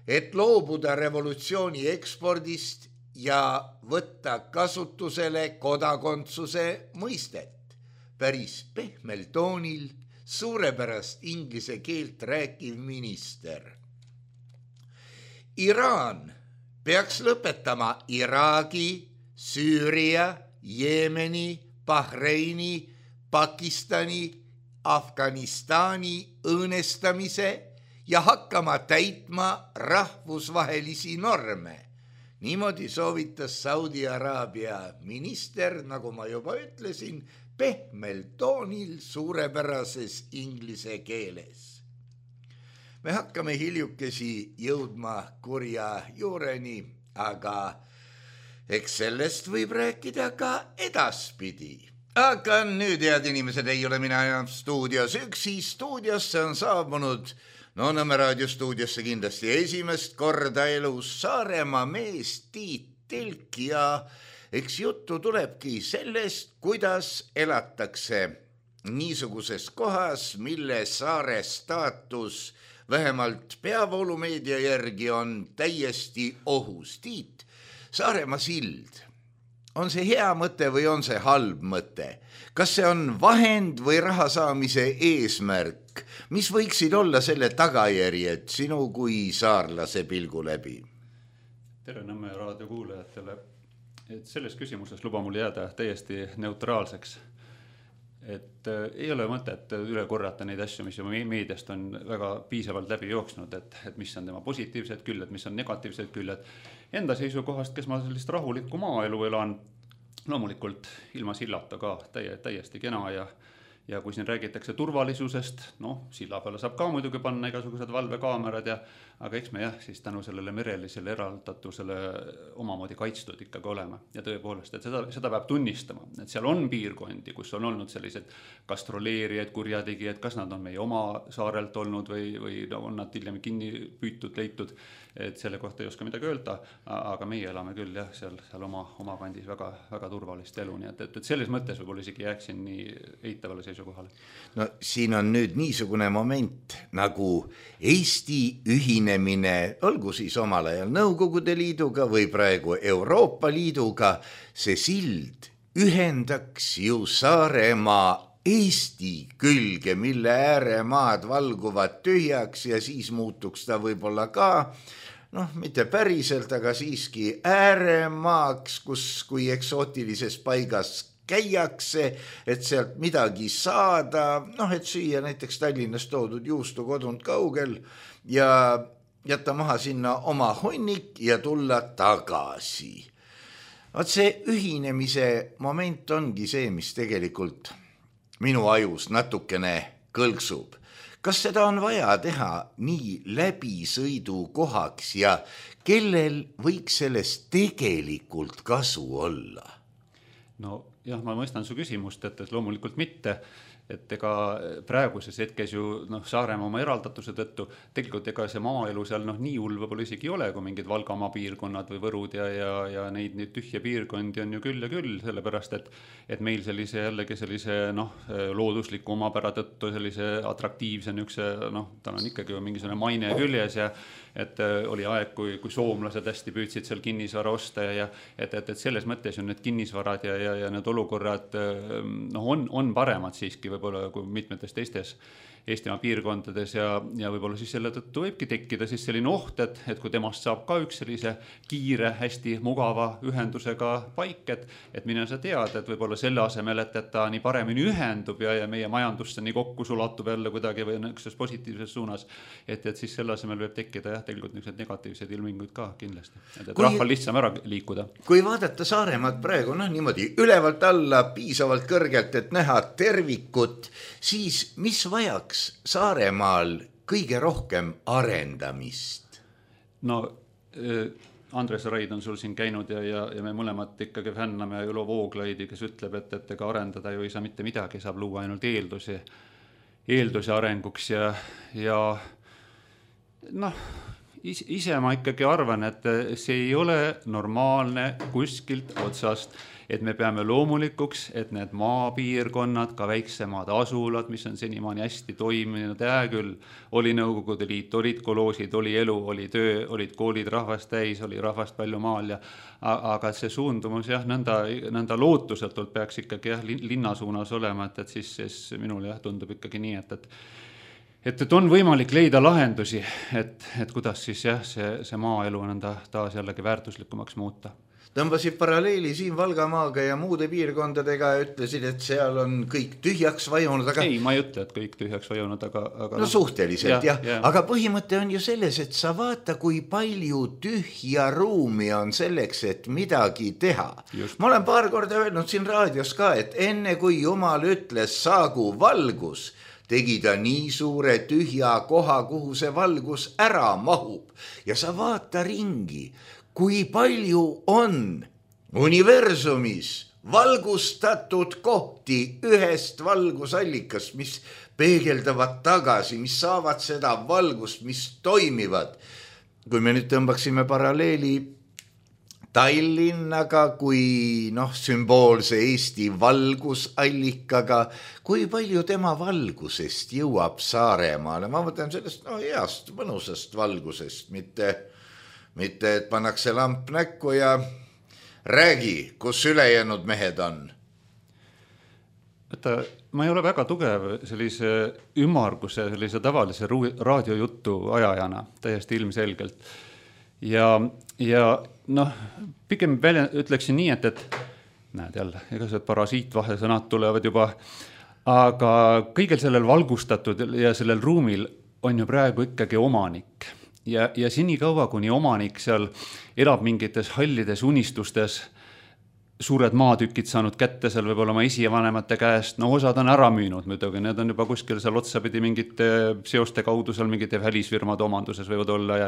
et loobuda revolutsiooni ekspordist ja võtta kasutusele kodakondsuse mõistet? Päris pehmel toonil suurepärast inglise keelt rääkiv minister. Iraan peaks lõpetama Iraagi, Süüria, Jeemeni, Bahreini, Pakistani, Afganistani õõnestamise ja hakkama täitma rahvusvahelisi norme. Niimoodi soovitas Saudi Araabia minister, nagu ma juba ütlesin, pehmel toonil suurepärases inglise keeles. Me hakkame hiljukesi jõudma kurja juureni, aga eks sellest võib rääkida ka edaspidi. Aga nüüd, head inimesed, ei ole mina enam stuudios üksi. Stuudiosse on saabunud No Nõmme raadiostuudiosse kindlasti esimest korda elus Saaremaa mees Tiit Tilk ja eks juttu tulebki sellest, kuidas elatakse niisuguses kohas, mille saare staatus vähemalt peavoolumeedia järgi on täiesti ohus. Tiit, Saaremaa sild, on see hea mõte või on see halb mõte? Kas see on vahend või raha saamise eesmärk? Mis võiksid olla selle tagajärjed sinu kui saarlase pilgu läbi? Tere Nõmme raadiokuulajatele. Et selles küsimuses luba mul jääda täiesti neutraalseks. Et äh, ei ole mõtet üle korrata neid asju, mis juba meediast on väga piisavalt läbi jooksnud, et, et mis on tema positiivsed küljed, mis on negatiivsed küljed. Enda seisukohast, kes ma sellist rahulikku maaelu elan, loomulikult ilma sillata ka täie, täiesti kena ja Ja kui siin räägitakse turvalisusest, noh, silla peale saab ka muidugi panna igasugused valvekaamerad, ja, aga eks me jah, siis tänu sellele merelisele eraldatusele omamoodi kaitstud ikkagi olema. Ja tõepoolest, et seda, seda peab tunnistama, et seal on piirkondi, kus on olnud sellised gastroleerijad, kurjategijad, kas nad on meie oma saarelt olnud või, või on nad hiljem kinni püütud, leitud, et selle kohta ei oska midagi öelda, aga meie elame küll jah, seal, seal oma, oma kandis väga, väga turvalist elu, nii et, et, et selles mõttes võib-olla isegi jääksin nii eitavale seisukohale. No siin on nüüd niisugune moment nagu Eesti ühinemine, olgu siis omal ajal Nõukogude Liiduga või praegu Euroopa Liiduga, see sild ühendaks ju Saaremaa Eesti külge, mille ääremaad valguvad tühjaks ja siis muutuks ta võib-olla ka, noh, mitte päriselt, aga siiski ääremaaks, kus kui eksootilises paigas käiakse, et sealt midagi saada, noh, et süüa näiteks Tallinnas toodud juustu kodunt kaugel ja jätta maha sinna oma hunnik ja tulla tagasi. Vaat see ühinemise moment ongi see, mis tegelikult minu ajus natukene kõlksub. Kas seda on vaja teha nii läbisõidu kohaks ja kellel võiks sellest tegelikult kasu olla? No jah, ma mõistan su küsimust, et loomulikult mitte, et ega praeguses hetkes ju noh, Saaremaa oma eraldatuse tõttu tegelikult ega see maaelu seal noh, nii hull võib-olla isegi ei ole, kui mingid Valgamaa piirkonnad või Võrud ja, ja, ja neid, neid tühje piirkondi on ju küll ja küll, sellepärast et, et meil sellise jällegi sellise noh, loodusliku omapära tõttu sellise atraktiivse nükse, noh, tal on ikkagi mingisugune maine küljes ja et oli aeg, kui, kui soomlased hästi püüdsid seal kinnisvara osta ja et, et, et selles mõttes on need kinnisvarad ja, ja, ja need olukorrad noh, on, on paremad siiski võib-olla kui mitmetes teistes Eestimaa piirkondades ja, ja võib-olla siis selle tõttu võibki tekkida siis selline oht, et, et kui temast saab ka üks sellise kiire, hästi mugava ühendusega paik, et, et mine sa tead, et võib-olla selle asemel, et, et ta nii paremini ühendub ja, ja meie majandusse nii kokku sulatub jälle kuidagi või niisuguses positiivses suunas, et, et siis selle asemel võib tekkida jah, tegelikult niisugused negatiivsed ilminguid ka kindlasti, et, et kui, rahval lihtsam ära liikuda. Kui vaadata Saaremaad praegu, noh niimoodi ülevalt alla piisavalt kõrgelt, et näha tervikut, siis mis vajaks Saaremaal kõige rohkem arendamist? No Andres Raid on sul siin käinud ja, ja, ja me mõlemad ikkagi fänname Ülo Vooglaidi, kes ütleb, et, et ega arendada ju ei saa mitte midagi, saab luua ainult eeldusi, eeldusi arenguks ja, ja noh, ise ma ikkagi arvan, et see ei ole normaalne kuskilt otsast, et me peame loomulikuks, et need maapiirkonnad, ka väiksemad asulad, mis on senimaani hästi toiminud, hää küll, oli Nõukogude Liit, olid koloosid, oli elu, oli töö, olid koolid rahvast täis, oli rahvast palju maal ja aga see suundumus jah, nõnda, nõnda lootusetult peaks ikkagi jah, linna suunas olema, et, et siis, siis minul jah, tundub ikkagi nii, et, et et, et on võimalik leida lahendusi, et, et kuidas siis jah, see, see maaelu nõnda taas jällegi väärtuslikumaks muuta. Tõmbasid paralleeli siin Valgamaaga ja muude piirkondadega ja ütlesid, et seal on kõik tühjaks vajunud, aga... Ei, ma ei ütle, et kõik tühjaks vajunud, aga... aga no suhteliselt, jah, jah. Aga põhimõte on ju selles, et sa vaata, kui palju tühja ruumi on selleks, et midagi teha. Just. Ma olen paar korda öelnud siin raadios ka, et enne kui Jumal ütles saagu valgus, tegi ta nii suure tühja koha, kuhu see valgus ära mahub. Ja sa vaata ringi, kui palju on universumis valgustatud kohti ühest valgusallikast, mis peegeldavad tagasi, mis saavad seda valgust, mis toimivad. Kui me nüüd tõmbaksime paralleeli Tallinnaga kui noh, sümboolse Eesti valgusallikaga, kui palju tema valgusest jõuab Saaremaale. Ma mõtlen sellest no, heast, mõnusast valgusest, mitte, mitte et pannakse lamp näkku ja räägi, kus ülejäänud mehed on. Võtta, ma ei ole väga tugev sellise ümmarguse, sellise tavalise raadiojutu ajajana, täiesti ilmselgelt. Ja, ja noh, pigem välja ütleksin nii, et, et näed jälle, ega see parasiitvahesõnad tulevad juba, aga kõigel sellel valgustatud ja sellel ruumil on ju praegu ikkagi omanik. Ja, ja senikaua, kuni omanik seal elab mingites hallides unistustes, suured maatükid saanud kätte seal võib-olla oma esivanemate käest, no osad on ära müünud muidugi, need on juba kuskil seal otsapidi mingite seoste kaudu seal mingite välisfirmade omanduses võivad olla ja,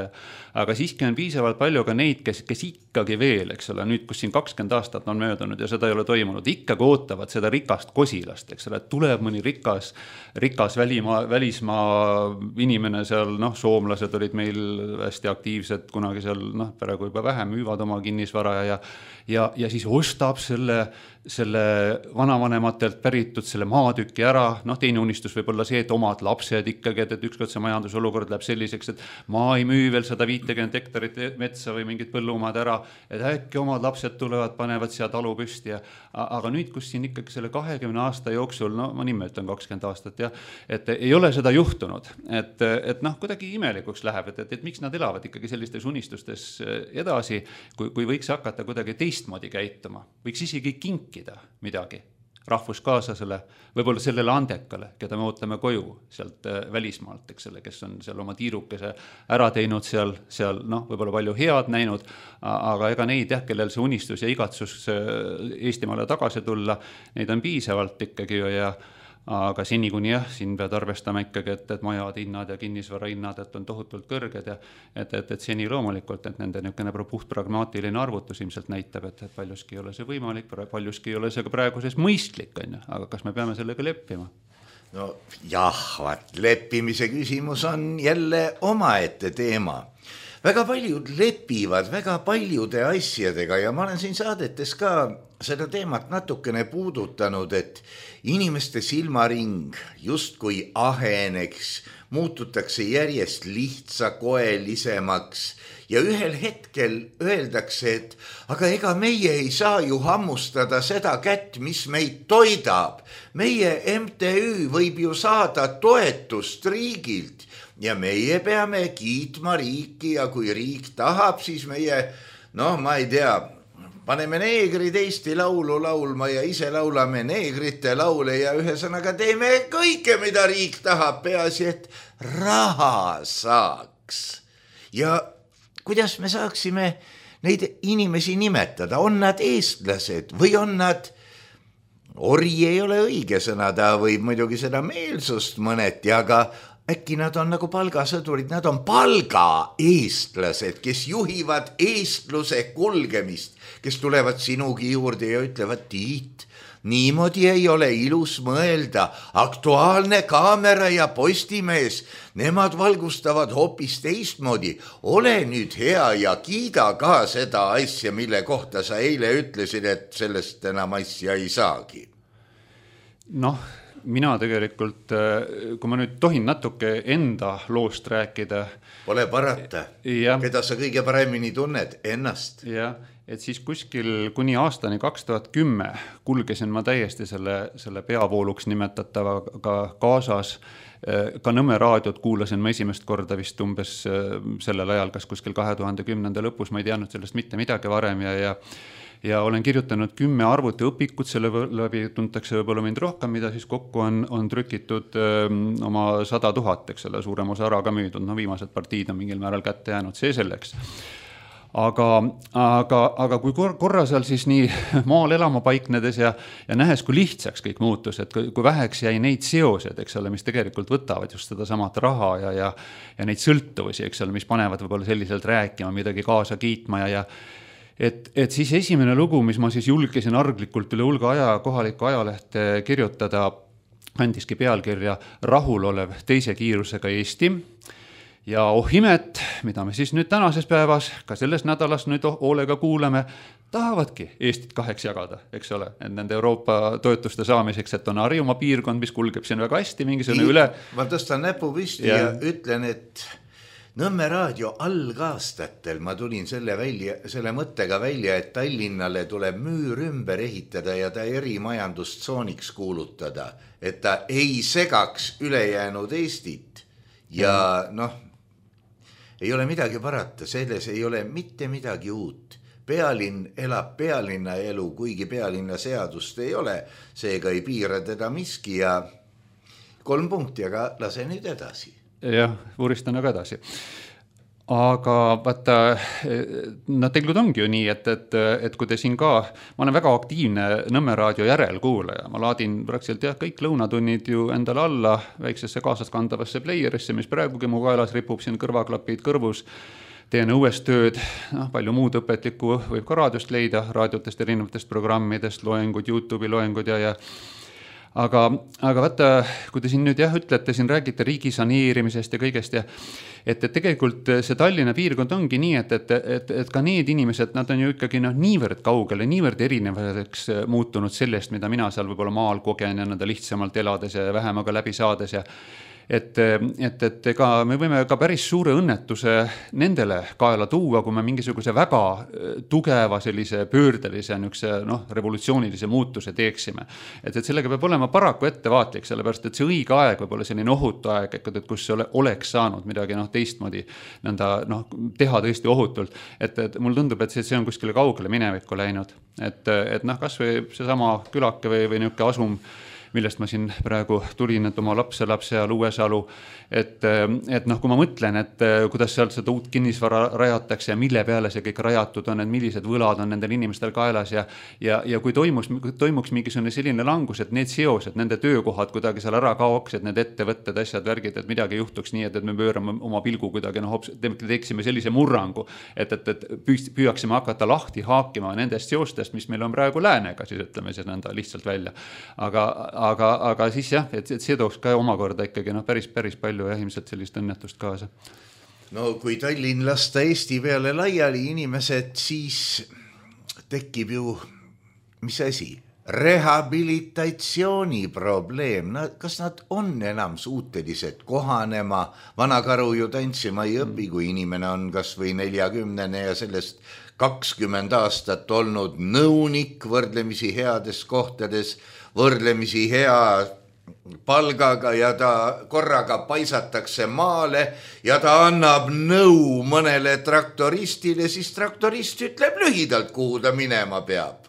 aga siiski on piisavalt palju ka neid, kes, kes ikkagi veel, eks ole, nüüd kus siin kakskümmend aastat on möödunud ja seda ei ole toimunud, ikkagi ootavad seda rikast kosilast, eks ole, et tuleb mõni rikas, rikas välimaa, välismaa inimene seal, noh, soomlased olid meil hästi aktiivsed kunagi seal, noh, praegu juba vähem müüvad oma kinnisvara ja, ja, ja siis ostab selle, selle vanavanematelt päritud selle maatüki ära, noh teine unistus võib olla see, et omad lapsed ikkagi, et, et ükskord see majandusolukord läheb selliseks, et ma ei müü veel sada viitekümmet hektarit metsa või mingit põllumaad ära, et äkki omad lapsed tulevad, panevad siia talu püsti ja, aga nüüd, kus siin ikkagi selle kahekümne aasta jooksul, no ma nime ütlen kakskümmend aastat ja, et ei ole seda juhtunud, et, et noh, kuidagi imelikuks läheb, et, et, et miks nad elavad ikkagi sellistes unistustes edasi, kui, kui võiks hakata kuidagi teistmoodi käituma, võiks isegi kinkida midagi rahvuskaaslasele, võib-olla sellele andekale, keda me ootame koju sealt välismaalt, eks selle, kes on seal oma tiirukese ära teinud seal, seal noh, võib-olla palju head näinud, aga ega neid jah, kellel see unistus ja igatsus Eestimaale tagasi tulla, neid on piisavalt ikkagi ja aga seni kuni jah, siin pead arvestama ikkagi, et, et majad hinnad ja kinnisvara hinnad, et on tohutult kõrged ja et, et, et seni loomulikult, et nende niisugune puht pragmaatiline arvutus ilmselt näitab, et, et paljuski ei ole see võimalik, paljuski ei ole see ka praeguses mõistlik, on ju, aga kas me peame sellega leppima? No jah, vaat leppimise küsimus on jälle omaette teema. Väga paljud lepivad väga paljude asjadega ja ma olen siin saadetes ka seda teemat natukene puudutanud, et inimeste silmaring justkui aheneks, muututakse järjest lihtsakoelisemaks ja ühel hetkel öeldakse, et aga ega meie ei saa ju hammustada seda kätt, mis meid toidab. Meie M T Ü võib ju saada toetust riigilt ja meie peame kiitma riiki ja kui riik tahab, siis meie, noh, ma ei tea, paneme neegrid Eesti laulu laulma ja ise laulame neegrite laule ja ühesõnaga teeme kõike, mida riik tahab, peaasi, et raha saaks. Ja kuidas me saaksime neid inimesi nimetada? On nad eestlased või on nad, ori ei ole õige sõna, ta võib muidugi seda meelsust mõneti, aga äkki nad on nagu palgasõdurid, nad on palgaeestlased, kes juhivad eestluse kulgemist, kes tulevad sinugi juurde ja ütlevad, Tiit, niimoodi ei ole ilus mõelda, Aktuaalne Kaamera ja Postimees, nemad valgustavad hoopis teistmoodi, ole nüüd hea ja kiida ka seda asja, mille kohta sa eile ütlesid, et sellest enam asja ei saagi. Noh, mina tegelikult, kui ma nüüd tohin natuke enda loost rääkida. Pole parata, ja, keda sa kõige paremini tunned, ennast. Jah, et siis kuskil kuni aastani kaks tuhat kümme kulgesin ma täiesti selle, selle peavooluks nimetatavaga kaasas. Ka Nõmme raadiot kuulasin ma esimest korda vist umbes sellel ajal, kas kuskil kahe tuhande kümnenda lõpus, ma ei teadnud sellest mitte midagi varem ja, ja ja olen kirjutanud kümme arvuti õpikut, selle läbi tuntakse võib-olla mind rohkem, mida siis kokku on, on trükitud öö, oma sada tuhat, eks ole, suurem osa ära ka müüdud, no viimased partiid on mingil määral kätte jäänud, see selleks. Aga, aga, aga kui korra seal siis nii maal elama paiknedes ja, ja nähes, kui lihtsaks kõik muutus, et kui, kui väheks jäi neid seosed, eks ole, mis tegelikult võtavad just seda samat raha ja, ja, ja neid sõltuvusi, eks ole, mis panevad võib-olla selliselt rääkima, midagi kaasa kiitma ja, ja et, et siis esimene lugu, mis ma siis julgesin arglikult üle hulga aja kohalikku ajalehte kirjutada, andiski pealkirja Rahulolev teise kiirusega Eesti. Ja oh imet, mida me siis nüüd tänases päevas, ka selles nädalas nüüd hoolega kuuleme, tahavadki Eestit kaheks jagada, eks ole, et nende Euroopa toetuste saamiseks, et on Harjumaa piirkond, mis kulgeb siin väga hästi, mingisugune üle. Ma tõstan näpu püsti ja, ja ütlen, et Nõmme raadio algaastatel ma tulin selle, välja, selle mõttega välja, et Tallinnale tuleb müür ümber ehitada ja ta erimajandustsooniks kuulutada, et ta ei segaks ülejäänud Eestit ja noh, ei ole midagi parata, selles ei ole mitte midagi uut. Pealinn elab pealinna elu, kuigi pealinna seadust ei ole, seega ei piira teda miski ja kolm punkti, aga lase nüüd edasi. Jah, uuristan aga edasi. Aga vaata, no tegelikult ongi ju nii, et, et, et kui te siin ka, ma olen väga aktiivne Nõmme raadio järelkuulaja, ma laadin praktiliselt jah, kõik lõunatunnid ju endale alla väiksesse kaasaskandavasse playerisse, mis praegugi mu kaelas ripub siin kõrvaklapid kõrvus, teen õues tööd, no, palju muud õpetlikku võib ka raadiost leida, raadiotest, erinevatest programmidest, loengud, YouTube'i loengud ja, ja Aga, aga vaata, kui te siin nüüd jah ütlete, siin räägite riigi saneerimisest ja kõigest ja et, et tegelikult see Tallinna piirkond ongi nii, et, et, et, et ka need inimesed, nad on ju ikkagi no, niivõrd kaugele, niivõrd erinevaks muutunud sellest, mida mina seal võib-olla maal kogen ja nende lihtsamalt elades ja vähemaga läbi saades ja Et, et, et ega me võime ka päris suure õnnetuse nendele kaela tuua, kui me mingisuguse väga tugeva sellise pöördelise niukse, noh, revolutsioonilise muutuse teeksime. Et, et sellega peab olema paraku ettevaatlik, sellepärast, et see õige aeg võib olla selline ohutu aeg, et kus ole, oleks saanud midagi noh, teistmoodi nõnda, noh, teha tõesti ohutult. Et, et mul tundub, et see, see on kuskile kaugele minevikku läinud. Et, et noh, kas või seesama külake või, või niuke asum, millest ma siin praegu tulin, et oma lapse lapse seal Uuesalu, et, et noh, kui ma mõtlen, et kuidas seal seda uut kinnisvara rajatakse ja mille peale see kõik rajatud on, et millised võlad on nendel inimestel kaelas ja, ja, ja kui toimus, toimuks mingisugune selline langus, et need seosed, nende töökohad kuidagi seal ära kaoks, et need ettevõtted, asjad, värgid, et midagi juhtuks nii, et, et me pöörame oma pilgu kuidagi, noh, teeksime sellise murrangu, et, et, et püüaksime hakata lahti haakima nendest seostest, mis meil on praegu läänega, siis ütleme see nõnda lihtsalt välja. Aga Aga, aga siis jah, et, et see tooks ka omakorda ikkagi noh, päris, päris palju ja ilmselt sellist õnnetust kaasa. No kui Tallinn lasta Eesti peale laiali inimesed, siis tekib ju, mis asi, rehabilitatsiooni probleem. No, kas nad on enam suutelised kohanema? Vanakaru ju tantsima ei õpi, kui inimene on kas või neljakümnene ja sellest kakskümmend aastat olnud nõunik võrdlemisi heades kohtades, võrdlemisi hea palgaga ja ta korraga paisatakse maale ja ta annab nõu mõnele traktoristile, siis traktorist ütleb lühidalt, kuhu ta minema peab.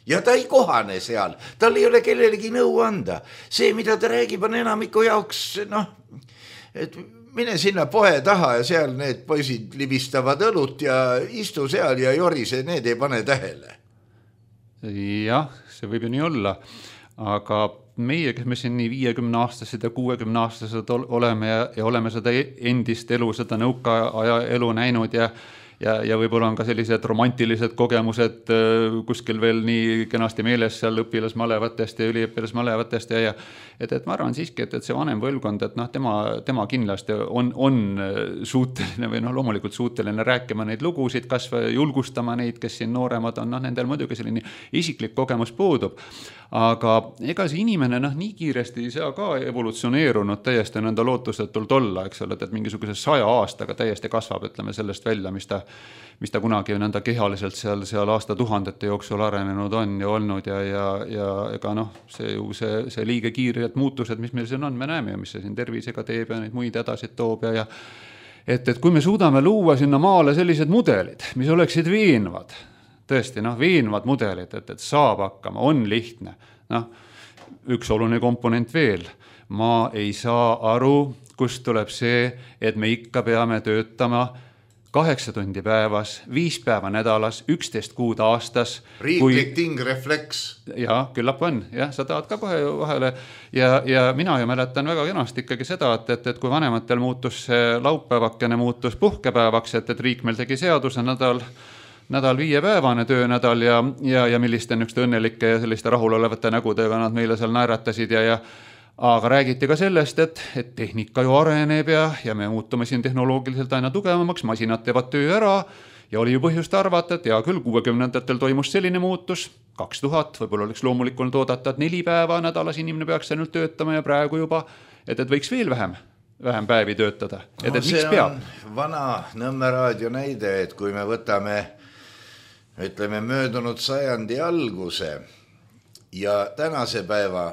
Ja ta ei kohane seal, tal ei ole kellelegi nõu anda. See, mida ta räägib, on enamiku jaoks, noh, et mine sinna poe taha ja seal need poisid libistavad õlut ja istu seal ja jorise, need ei pane tähele. Jah, see võib ju nii olla, aga meie, kes me siin nii viiekümne aastased ja kuuekümne aastased oleme ja, ja oleme seda endist elu, seda nõukaaja elu näinud ja, ja, ja võib-olla on ka sellised romantilised kogemused kuskil veel nii kenasti meeles seal õpilasmalevatest ja üliõpilasmalevatest ja, ja et, et ma arvan siiski, et, et see vanem põlvkond, et noh, tema, tema kindlasti on, on suuteline või noh, loomulikult suuteline rääkima neid lugusid, kas või julgustama neid, kes siin nooremad on, noh, nendel muidugi selline isiklik kogemus puudub. Aga ega see inimene noh, nii kiiresti ei saa ka evolutsioneerunud täiesti nõnda lootusetult olla, eks ole, et mingisuguse saja aastaga täiesti kasvab, ütleme sellest välja, mis ta, mis ta kunagi nõnda kehaliselt seal, seal aastatuhandete jooksul arenenud on ja olnud ja, ja, ja ega noh, see ju see, see liige kiired muutused, mis meil siin on, me näeme ja mis see siin tervisega teeb ja neid muid edasid toob ja, ja et, et kui me suudame luua sinna maale sellised mudelid, mis oleksid veenvad, tõesti, noh, veenvad mudelid, et, et saab hakkama, on lihtne. Noh, üks oluline komponent veel. Ma ei saa aru, kust tuleb see, et me ikka peame töötama kaheksa tundi päevas, viis päeva nädalas, üksteist kuud aastas. Riiklik kui... tingrefleks. Ja, küllap on. Ja, sa tahad ka kohe vahele. Ja, ja mina ju mäletan väga kenasti ikkagi seda, et, et, et kui vanematel muutus see laupäevakene muutus puhkepäevaks, et, et riik meil tegi seaduse nädal, nädal viiepäevane töönädal ja, ja, ja milliste nükste õnnelike ja selliste rahulolevate nägudega nad meile seal naeratasid ja, ja aga räägiti ka sellest, et, et tehnika ju areneb ja, ja me muutume siin tehnoloogiliselt aina tugevamaks, masinad teevad töö ära ja oli ju põhjust arvata, et hea küll, kuuekümnendatel toimus selline muutus, kaks tuhat, võib-olla oleks loomulikult oodata, et neli päeva nädalas inimene peaks ainult töötama ja praegu juba, et, et võiks veel vähem, vähem päevi töötada. Et, no, et miks peab? Vana Nõmme raadio näide, et kui me võtame, ütleme, möödunud sajandi alguse ja tänase päeva,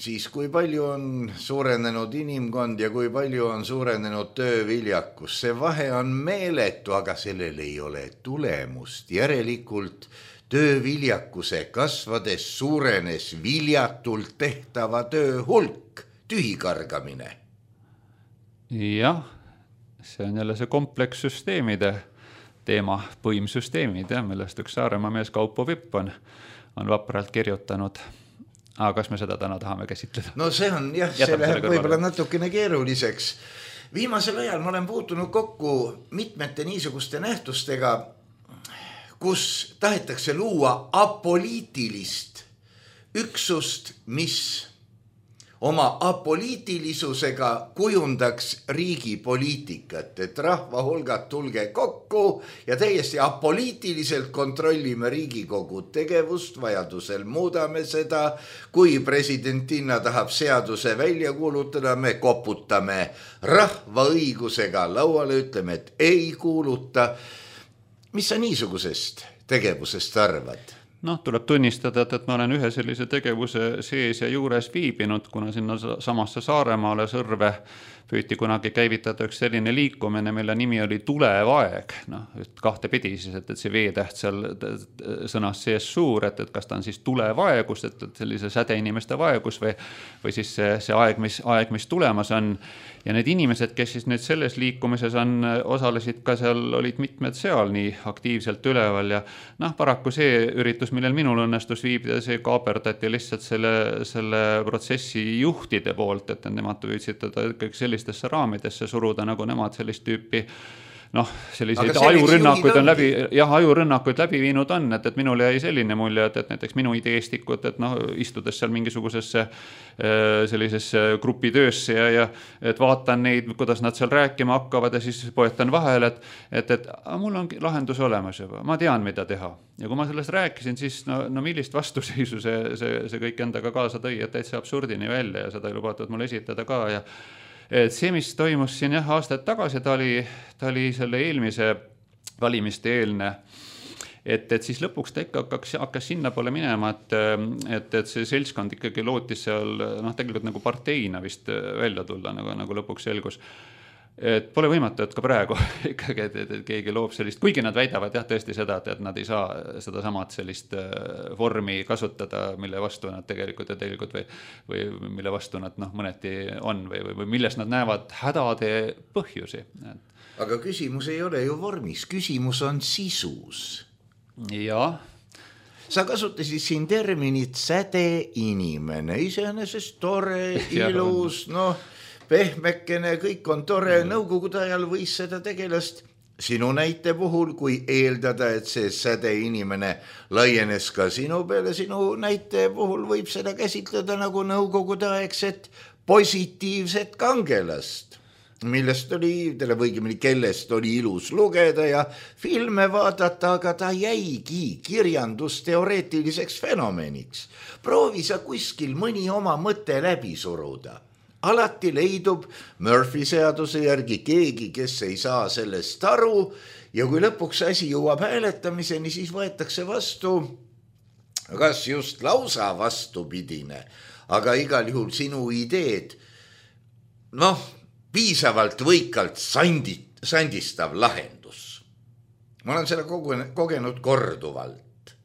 siis kui palju on suurenenud inimkond ja kui palju on suurenenud tööviljakus. See vahe on meeletu, aga sellel ei ole tulemust. Järelikult tööviljakuse kasvades suurenes viljatult tehtava töö hulk, tühikargamine. Jah, see on jälle see komplekssüsteemide teema, põimsüsteemid, ja, millest üks Saaremaa mees Kaupo Vipp on, on vapralt kirjutanud. Aga kas me seda täna tahame käsitleda? No see on, jah, see läheb võib-olla natukene keeruliseks. Viimasel ajal ma olen puutunud kokku mitmete niisuguste nähtustega, kus tahetakse luua apoliitilist üksust, mis oma apoliitilisusega kujundaks riigi poliitikat, et rahva hulgad tulge kokku ja täiesti apoliitiliselt kontrollime Riigikogu tegevust, vajadusel muudame seda, kui presidentina tahab seaduse välja kuulutada, me koputame rahva õigusega lauale, ütleme, et ei kuuluta. Mis sa niisugusest tegevusest arvad? Noh, tuleb tunnistada, et, et ma olen ühe sellise tegevuse sees ja juures viibinud, kuna sinna samasse Saaremaale Sõrve püüti kunagi käivitada üks selline liikumine, mille nimi oli Tulevaeg. Noh, kahte pidi siis, et, et see veetäht seal sõnas sees suur, et, et kas ta on siis tulevaegus, et, et sellise säde inimeste vaegus või, või siis see, see aeg, mis, aeg, mis tulemas on. Ja need inimesed, kes siis nüüd selles liikumises on, osalesid ka seal, olid mitmed seal nii aktiivselt üleval ja noh, paraku see üritus, millel minul õnnestus viibida, see kaaperdati lihtsalt selle, selle protsessi juhtide poolt, et nemad püüdsid teda ikkagi sellistesse raamidesse suruda, nagu nemad sellist tüüpi noh, selliseid ajurünnakuid on läbi, jah, ajurünnakuid läbi viinud on, et, et minul jäi selline mulje, et, et näiteks minu ideestikud, et noh, istudes seal mingisugusesse sellisesse grupitöösse ja, ja et vaatan neid, kuidas nad seal rääkima hakkavad ja siis poetan vahel, et, et, et a, mul on lahendus olemas juba, ma tean, mida teha. Ja kui ma sellest rääkisin, siis no, no millist vastuseisu see, see, see kõik endaga kaasa tõi, et täitsa absurdini välja ja seda ei lubatud mul esitada ka ja et see, mis toimus siin jah, aastaid tagasi, ta oli, ta oli selle eelmise valimiste eelne, et, et siis lõpuks ta ikka hakkas, hakkas sinna poole minema, et, et, et see seltskond ikkagi lootis seal noh, tegelikult nagu parteina vist välja tulla, nagu, nagu lõpuks selgus. Et pole võimatu, et ka praegu ikkagi, et, et, et keegi loob sellist, kuigi nad väidavad jah, tõesti seda, et, et nad ei saa seda samad sellist vormi kasutada, mille vastu nad tegelikult ja tegelikult või, või mille vastu nad noh, mõneti on või, või, või milles nad näevad hädade põhjusi. Aga küsimus ei ole ju vormis, küsimus on sisus. Jah. Sa kasutasid siin terminit säde inimene, iseenesest tore, ilus, noh, pehmekene, kõik on tore, nõukogude ajal võis seda tegelast sinu näite puhul, kui eeldada, et see säde inimene laienes ka sinu peale, sinu näite puhul võib seda käsitleda nagu nõukogude aegset positiivset kangelast, millest oli, tähendab õigemini, kellest oli ilus lugeda ja filme vaadata, aga ta jäigi kirjandusteoreetiliseks fenomeniks. Proovi sa kuskil mõni oma mõte läbi suruda. Alati leidub Murphy seaduse järgi keegi, kes ei saa sellest aru ja kui lõpuks asi jõuab hääletamiseni, siis võetakse vastu, kas just lausa vastupidine, aga igal juhul sinu ideed, noh, piisavalt võikalt sandit, sandistav lahendus. Ma olen seda kogenud korduvalt.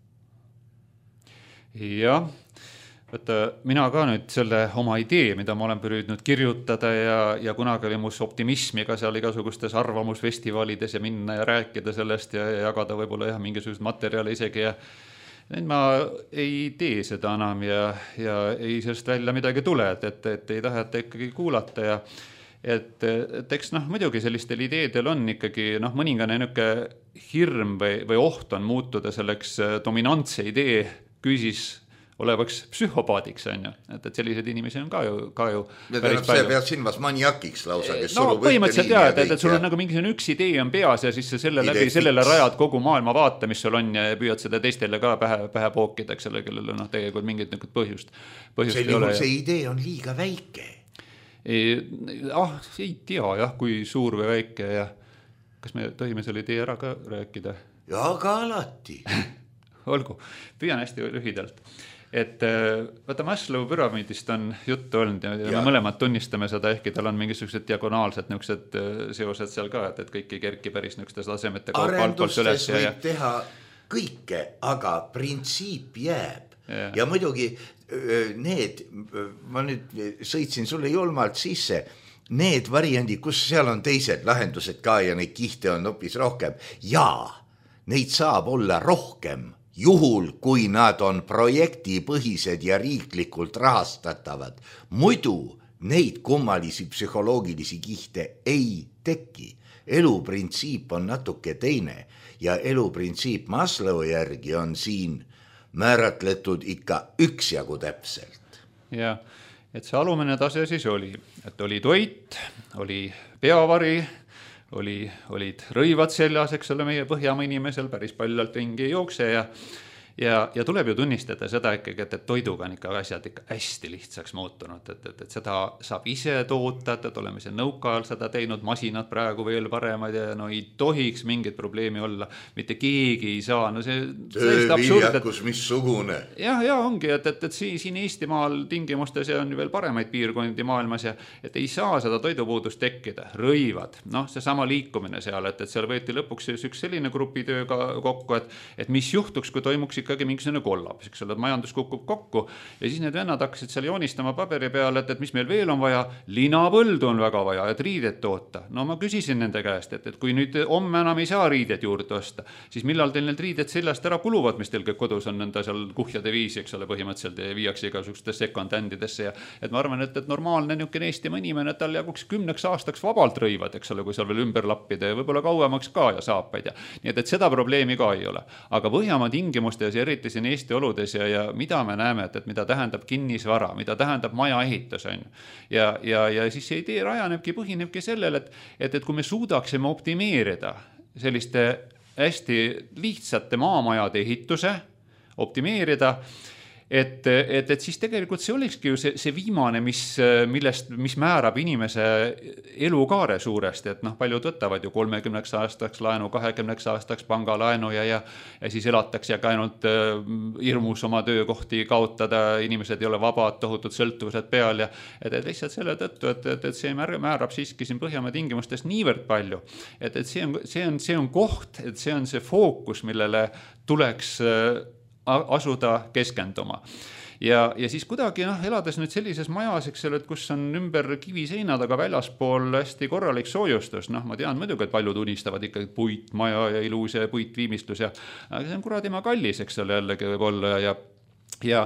Jah. Võtta, mina ka nüüd selle oma idee, mida ma olen püüdnud kirjutada ja, ja kunagi oli mus optimismiga seal igasugustes arvamusfestivalides ja minna ja rääkida sellest ja, ja jagada võib-olla jah, mingisugust materjali isegi ja nüüd ma ei tee seda enam ja, ja ei sellest välja midagi tule, et, et, et ei taheta ikkagi kuulata ja et, et eks noh, muidugi sellistel ideedel on ikkagi noh, mõningane niuke hirm või, või oht on muutuda selleks dominantse idee küüsis olevaks psühhopaadiks, on ju. Et, et sellised inimesi on ka ju, ka ju ja päris palju. See pead silmas maniakiks lausa, kes no, surub põhimõtteliselt jah, et, et sul on nagu mingisugune üks idee on peas ja siis selle läbi Idee sellele fix. Rajad kogu maailma vaata, mis sul on ja püüad seda teistele ka pähe, pähe pookida, eks selle, kellel on noh, tegelikult mingit põhjust, põhjust see, ei ole. See idee on liiga väike. Ei, ah, ei tea jah, kui suur või väike ja kas me tohime selle idee ära ka rääkida? Ja ka alati. Olgu, püüan hästi lühidalt. Et võta Maslow püramiidist on juttu olnud ja, ja me mõlemad tunnistame seda, ehkki tal on mingisugused diagonaalsed niisugused seosed seal ka, et, et kõik ei kerki päris niisugustes tasemete arendustes võib ja... teha kõike, aga printsiip jääb ja, ja muidugi need, ma nüüd sõitsin sulle julmalt sisse, need variandid, kus seal on teised lahendused ka ja neid kihte on hoopis rohkem ja neid saab olla rohkem juhul, kui nad on projektipõhised ja riiklikult rahastatavad. Muidu neid kummalisi psühholoogilisi kihte ei teki. Eluprintsiip on natuke teine ja eluprintsiip Maslow järgi on siin määratletud ikka üksjagu täpselt. Ja, et see alumine tase siis oli, et oli toit, oli peavari, Oli, olid rõivad seljas, eks ole, meie Põhjamaa inimesel päris paljalt ringi ei jookse ja, ja, ja tuleb ju tunnistada seda ikkagi, et, et toiduga on ikka asjad ikka hästi lihtsaks muutunud, et, et, et seda saab ise toota, et oleme see nõukaajal seda teinud, masinad praegu veel paremad ja no ei tohiks mingit probleemi olla, mitte keegi ei saa, no see tööviljakus missugune. Jah, ja ongi, et, et, et siin Eestimaal tingimustes on veel paremaid piirkondi maailmas ja et ei saa seda toidupuudust tekkida, rõivad, noh, see sama liikumine seal, et, et seal võeti lõpuks üks selline grupitöö kokku, et, et mis juhtuks, kui toimuks ikkagi mingisugune kollaps, eks ole, et majandus kukub kokku ja siis need vennad hakkasid seal joonistama paberi peale, et, et mis meil veel on vaja, linapõldu on väga vaja, et riidet toota. No ma küsisin nende käest, et, et kui nüüd homme enam ei saa riidet juurde osta, siis millal teil need riided seljast ära kuluvad, mis teil kõik kodus on nende seal kuhjade viisi, eks ole, põhimõtteliselt ja viiakse igasugustesse second-handidesse ja et ma arvan, et, et normaalne niisugune Eestimaa inimene, et tal jaguks kümneks aastaks vabalt rõivad, eks ole, kui seal veel ümber lappida ja võib-olla kauemaks ka ja saapaid ja nii et, et seda probleemi ka ei ole. Aga Põhjamaa tingimustes ja eriti siin Eesti oludes ja, ja mida me näeme, et, et mida tähendab kinnisvara, mida tähendab maja ehitus on. Ja, ja, ja siis see idee rajanebki, põhinebki sellel, et, et, et kui me suudaksime optimeerida selliste hästi lihtsate maamajade ehituse, optimeerida, Et, et, et siis tegelikult see olekski ju see, see viimane, mis, millest, mis määrab inimese elukaare suuresti, et noh, paljud võtavad ju kolmekümneks aastaks laenu, kahekümneks aastaks pangalaenu ja, ja, ja siis elatakse ja ka ainult hirmus oma töökohti kaotada, inimesed ei ole vabad, tohutud sõltuvused peal ja et, et lihtsalt selle tõttu, et, et, et see määrab siiski siin Põhjamaa tingimustes niivõrd palju, et, et see on, see on, see on koht, et see on see fookus, millele tuleks asuda keskenduma. Ja, ja siis kuidagi noh, elades nüüd sellises majas, eks ole, et kus on ümber kiviseinad, aga väljaspool hästi korralik soojustus, noh ma tean muidugi, et paljud unistavad ikkagi puitmaja ja ilus ja puitviimistlus ja aga see on kuradima kallis, eks ole, jällegi võib olla ja, ja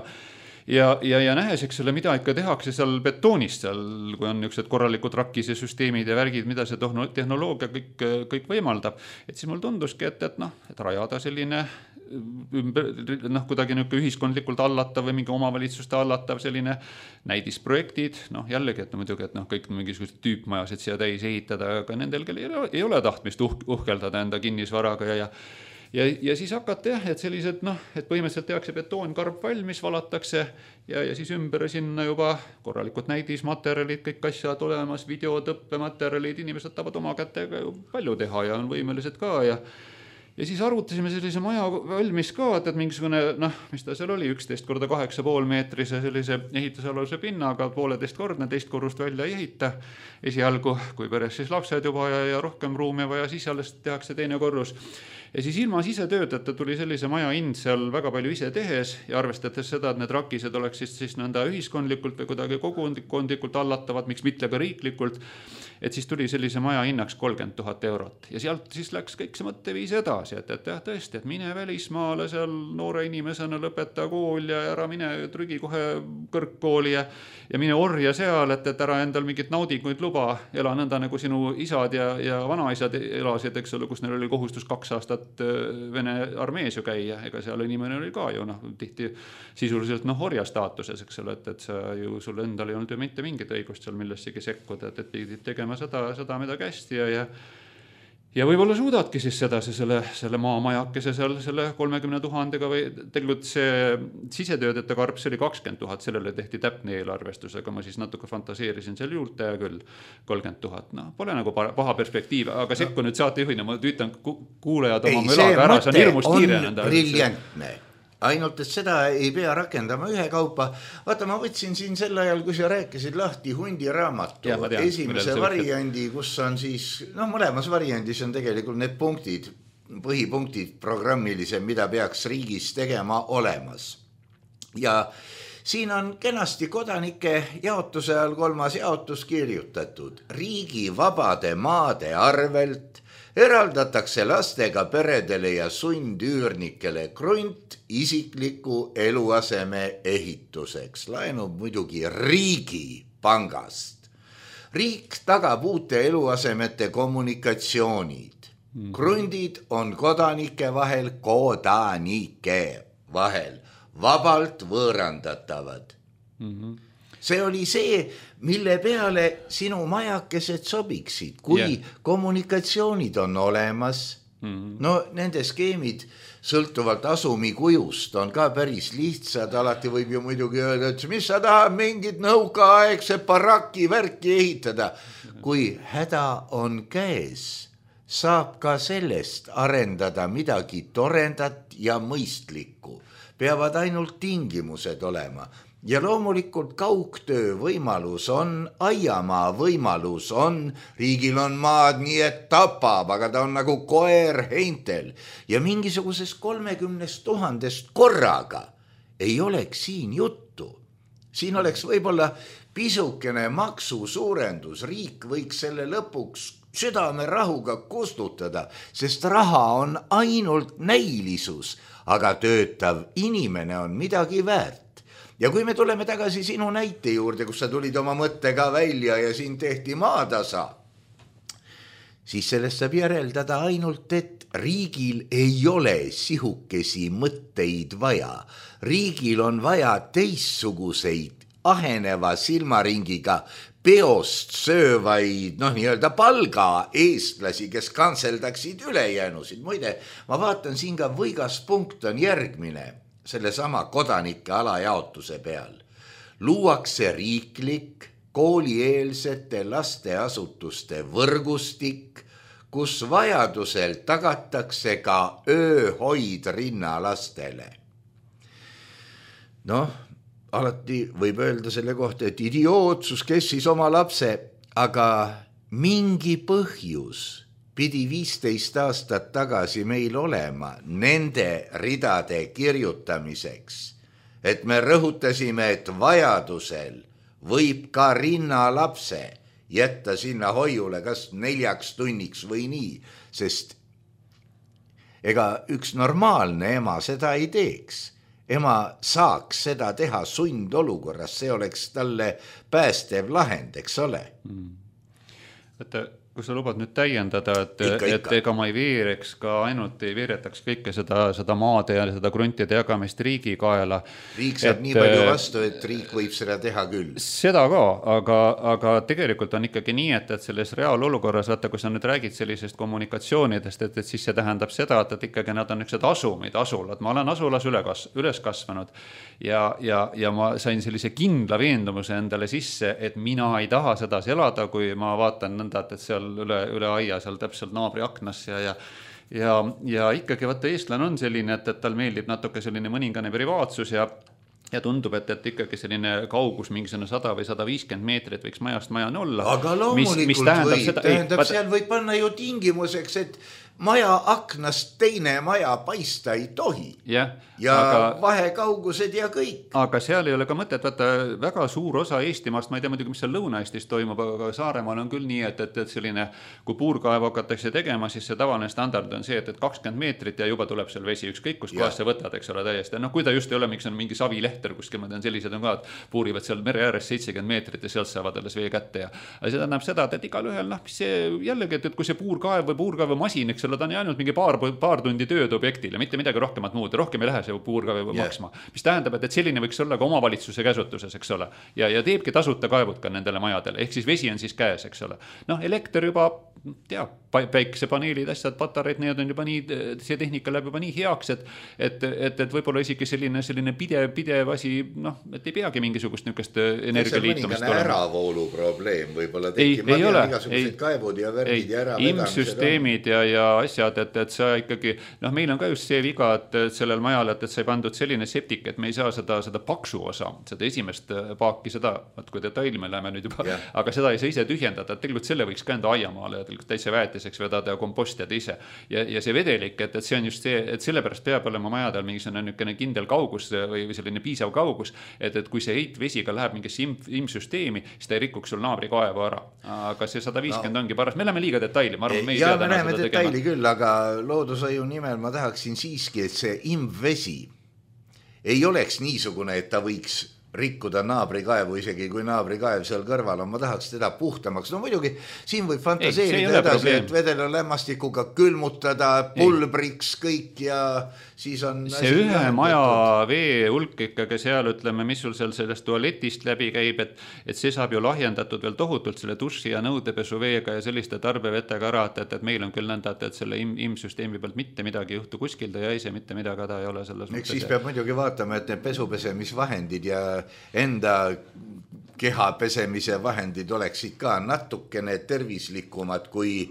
ja, ja, ja nähes, eks ole, mida ikka tehakse seal betoonist seal, kui on niisugused korralikud rakkise süsteemid ja värgid, mida see tehnoloogia kõik, kõik võimaldab, et siis mul tunduski, et, et noh, et rajada selline ümber, noh, kuidagi niisugune ühiskondlikult allatav või mingi omavalitsuste allatav selline näidisprojektid, noh jällegi, et no muidugi, et noh, kõik mingisugused tüüpmajased siia täis ehitada, aga nendel, kel ei ole, ei ole tahtmist uh, uhkeldada enda kinnisvaraga ja, ja Ja, ja siis hakata jah, et sellised, noh, et põhimõtteliselt tehakse betoonkarp valmis, valatakse ja, ja siis ümber sinna juba korralikud näidismaterjalid, kõik asjad olemas, videod, õppematerjalid, inimesed tahavad oma kätega ju palju teha ja on võimelised ka ja ja siis arvutasime sellise maja valmis ka, et, et mingisugune, noh, mis ta seal oli, üksteist korda kaheksa pool meetrise sellise ehitusaluse pinnaga, pooleteist kordne, teist korrust välja ei ehita esialgu, kui peres siis lapsed juba ja, ja rohkem ruumi vaja, siis alles tehakse teine korrus. Ja siis ilma sisetöötajata tuli sellise maja hind seal väga palju ise tehes ja arvestades seda, et need rakised oleks siis, siis nõnda ühiskondlikult või kuidagi kogukondlikult allatavad, miks mitte ka riiklikult, et siis tuli sellise maja hinnaks kolmkümmend tuhat eurot. Ja sealt siis läks kõik see mõtteviis edasi, et, et jah, tõesti, et mine välismaale seal noore inimesena, lõpeta kool ja ära mine trügi kohe kõrgkooli ja, ja mine orja seal, et, et ära endal mingit naudinguid luba, ela nõnda nagu sinu isad ja, ja vanaisad elasid, eks ole, kus neil oli kohustus kaks aastat Vene armees ju käia, ega seal inimene oli ka ju, noh, tihti sisuliselt, noh, orja staatuses, eks ole, et, et sa ju, sul endal ei olnud ju mitte mingit õigust seal millessegi sekkuda, et, et pidid tegema seda, seda mida kästi ja, ja ja võib-olla suudadki siis sedasi selle, selle maamajakese seal selle kolmekümne tuhandega või tegelikult see sisetöödete karp, see oli kakskümmend tuhat, sellele tehti täpne eelarvestus, aga ma siis natuke fantaseerisin seal juurde ja küll kolmkümmend tuhat, noh, pole nagu paha perspektiiv, aga sekku nüüd saatejuhina, ma tüütan kuulejad oma mölaga ära, see on hirmus kiire nende. Briljantne. Ainult, et seda ei pea rakendama ühe kaupa. Vaata, ma võtsin siin sel ajal, kui sa rääkisid lahti Hundi raamatu, ja, tean, esimese variandi, kus on siis, noh, mõlemas variandis on tegelikult need punktid, põhipunktid programmilise, mida peaks riigis tegema olemas. Ja siin on kenasti kodanike jaotuse all kolmas jaotus kirjutatud. Riigi vabade maade arvelt eraldatakse lastega peredele ja sundüürnikele krunt isikliku eluaseme ehituseks. Laenub muidugi riigi pangast. Riik tagab uute eluasemete kommunikatsioonid. Krundid on kodanike vahel, kodanike vahel, vabalt võõrandatavad. Mm-hmm. See oli see, mille peale sinu majakesed sobiksid, kui yeah. kommunikatsioonid on olemas. Mm-hmm. No nende skeemid sõltuvalt asumi kujust on ka päris lihtsad, alati võib ju muidugi öelda, et mis sa tahad mingit nõukaaegse baraki värki ehitada. Kui häda on käes, saab ka sellest arendada midagi torendat ja mõistlikku. Peavad ainult tingimused olema. Ja loomulikult kaugtöö võimalus on, aiamaa võimalus on, riigil on maad nii, et tapab, aga ta on nagu koer heintel. Ja mingisugusest kolmekümnest tuhandest korraga ei oleks siin juttu. Siin oleks võib-olla pisukene maksu suurendus, riik võiks selle lõpuks südame rahuga kustutada, sest raha on ainult näilisus, aga töötav inimene on midagi väärt. Ja kui me tuleme tagasi sinu näite juurde, kus sa tulid oma mõttega välja ja siin tehti maatasa, siis sellest saab järeldada ainult, et riigil ei ole sihukesi mõtteid vaja. Riigil on vaja teistsuguseid aheneva silmaringiga peost söövaid, noh, nii-öelda palga eestlasi, kes kantseldaksid ülejäänusid. Muide, ma vaatan siin ka võigas punkt on järgmine. Sellesama kodanike alajaotuse peal. Luuakse riiklik koolieelsete lasteasutuste võrgustik, kus vajadusel tagatakse ka ööhoid rinnalastele. Noh, alati võib öelda selle kohta, et idiootsus, kes siis oma lapse, aga mingi põhjus pidi viisteist aastat tagasi meil olema nende ridade kirjutamiseks, et me rõhutasime, et vajadusel võib ka rinnalapse jätta sinna hoiule kas neljaks tunniks või nii, sest ega üks normaalne ema seda ei teeks. ema saaks seda teha sundolukorras, see oleks talle päästev lahend, eks ole. Võtta, kui sa lubad nüüd täiendada, et, ikka, et ikka. ega ma ei veereks ka ainult ei veeretaks kõike seda, seda maade ja seda gruntide jagamist riigi kaela. Riik saab et, nii palju vastu, et riik võib seda teha küll. Seda ka, aga, aga tegelikult on ikkagi nii, et, et selles reaalolukorras, vaata, kui sa nüüd räägid sellisest kommunikatsioonidest, et, et siis see tähendab seda, et, et ikkagi nad on niisugused asumid, asulad. Ma olen asulas üle kas, üles kasvanud ja, ja, ja ma sain sellise kindla veendumuse endale sisse, et mina ei taha sedasi elada, kui ma vaatan nõnda, et seal üle, üle aia, seal täpselt naabri aknas ja, ja ja, ja ikkagi vaata eestlane on selline, et, et tal meeldib natuke selline mõningane privaatsus ja ja tundub, et, et ikkagi selline kaugus mingisugune sada või sada viiskümmend meetrit võiks majast majani olla. Aga loomulikult mis, mis tähendab võib, seda, tähendab, ei, seal võib panna ju tingimuseks, et maja aknast teine maja paista ei tohi. Yeah, ja aga, vahekaugused ja kõik. Aga seal ei ole ka mõtet, vaata väga suur osa Eestimaast, ma ei tea muidugi, mis seal Lõuna-Eestis toimub, aga Saaremaal on küll nii, et, et, et selline, kui puurkaev hakatakse tegema, siis see tavaline standard on see, et, et kakskümmend meetrit ja juba tuleb seal vesi ükskõik, kus kohas sa võtad, eks ole, täiesti. No kui ta just ei ole, miks on mingi savilehter kuskil, ma tean, sellised on ka, et puurivad seal mere ääres seitsekümmend meetrit ja sealt saavad alles vee kätte. Ja aga see tähendab seda, et igal ühel, noh, see jällegi, et, et kui see puurkaev või puurkaevumasin, eks ole, ta on ainult mingi paar, paar tundi tööd objektil ja mitte midagi rohkemat muud, rohkem ei lähe see puurkaev yeah. maksma, mis tähendab, et, et selline võiks olla ka omavalitsuse käsutuses, eks ole, ja, ja teebki tasuta kaevud ka nendele majadele, ehk siis vesi on siis käes, eks ole. Noh, elekter juba, tea, päikesepaneelid, asjad, patareid, need on juba nii, see tehnika läheb juba nii heaks, et, et, et, et võib-olla isegi selline, selline pidev, pidev asi, noh, et ei peagi mingisugust niukest energialiitumist olema. Äravoolu probleem võib-olla tekib, ma tean igasugused kaevud ja värgid ja äravedamised. Imsüsteemid ja, ja asjad, et, et sa ikkagi, noh, meil on ka just see viga, et sellel majal, et, et sa ei pandud selline septik, et me ei saa seda, seda paksu osa, seda esimest paaki, seda, et kui detaili me läheme nüüd juba, yeah. aga seda ei saa ise tühjendada, et tegelikult selle võiks ka enda aiamaale ja täitsa väetiseks vedada ja kompostida ise. Ja, ja see vedelik, et, et see on just see, et sellepärast peab olema majadel mingisugune niisugune kindel kaugus või selline piisav kaugus, et, et kui see heitvesiga läheb mingisse im, imsüsteemi, siis ta ei rikuks sul naabri kaevu ära. Aga see sada viiskümmend no. ongi paras. Me läheme liiga detaili, ma arvan, me ei ja, tea täna seda tegema. Küll, aga loodushoiu nimel ma tahaksin siiski, et see imvesi ei oleks niisugune, et ta võiks rikkuda naabrikaevu, isegi kui naabrikaev seal kõrval on, ma tahaks teda puhtamaks. No muidugi, siin võib fantaseerida ei, edasi, et vedela lämmastikuga külmutada, pulbriks kõik ja siis on... See ühe lahendatud. Maja vee hulk ikkagi seal, ütleme, mis sul seal sellest tualetist läbi käib, et, et see saab ju lahjendatud veel tohutult selle duši ja nõudepesu veega ja selliste tarbevetega ära, et, et meil on küll nõnda, et selle im, imsüsteemi pealt mitte midagi juhtu kuskil, ta jäi see mitte midagi, ta ei ole selles mõttes. Siis peab muidugi vaatama, et need pesupesemisvahendid ja enda keha pesemise vahendid oleksid ka natukene tervislikumad kui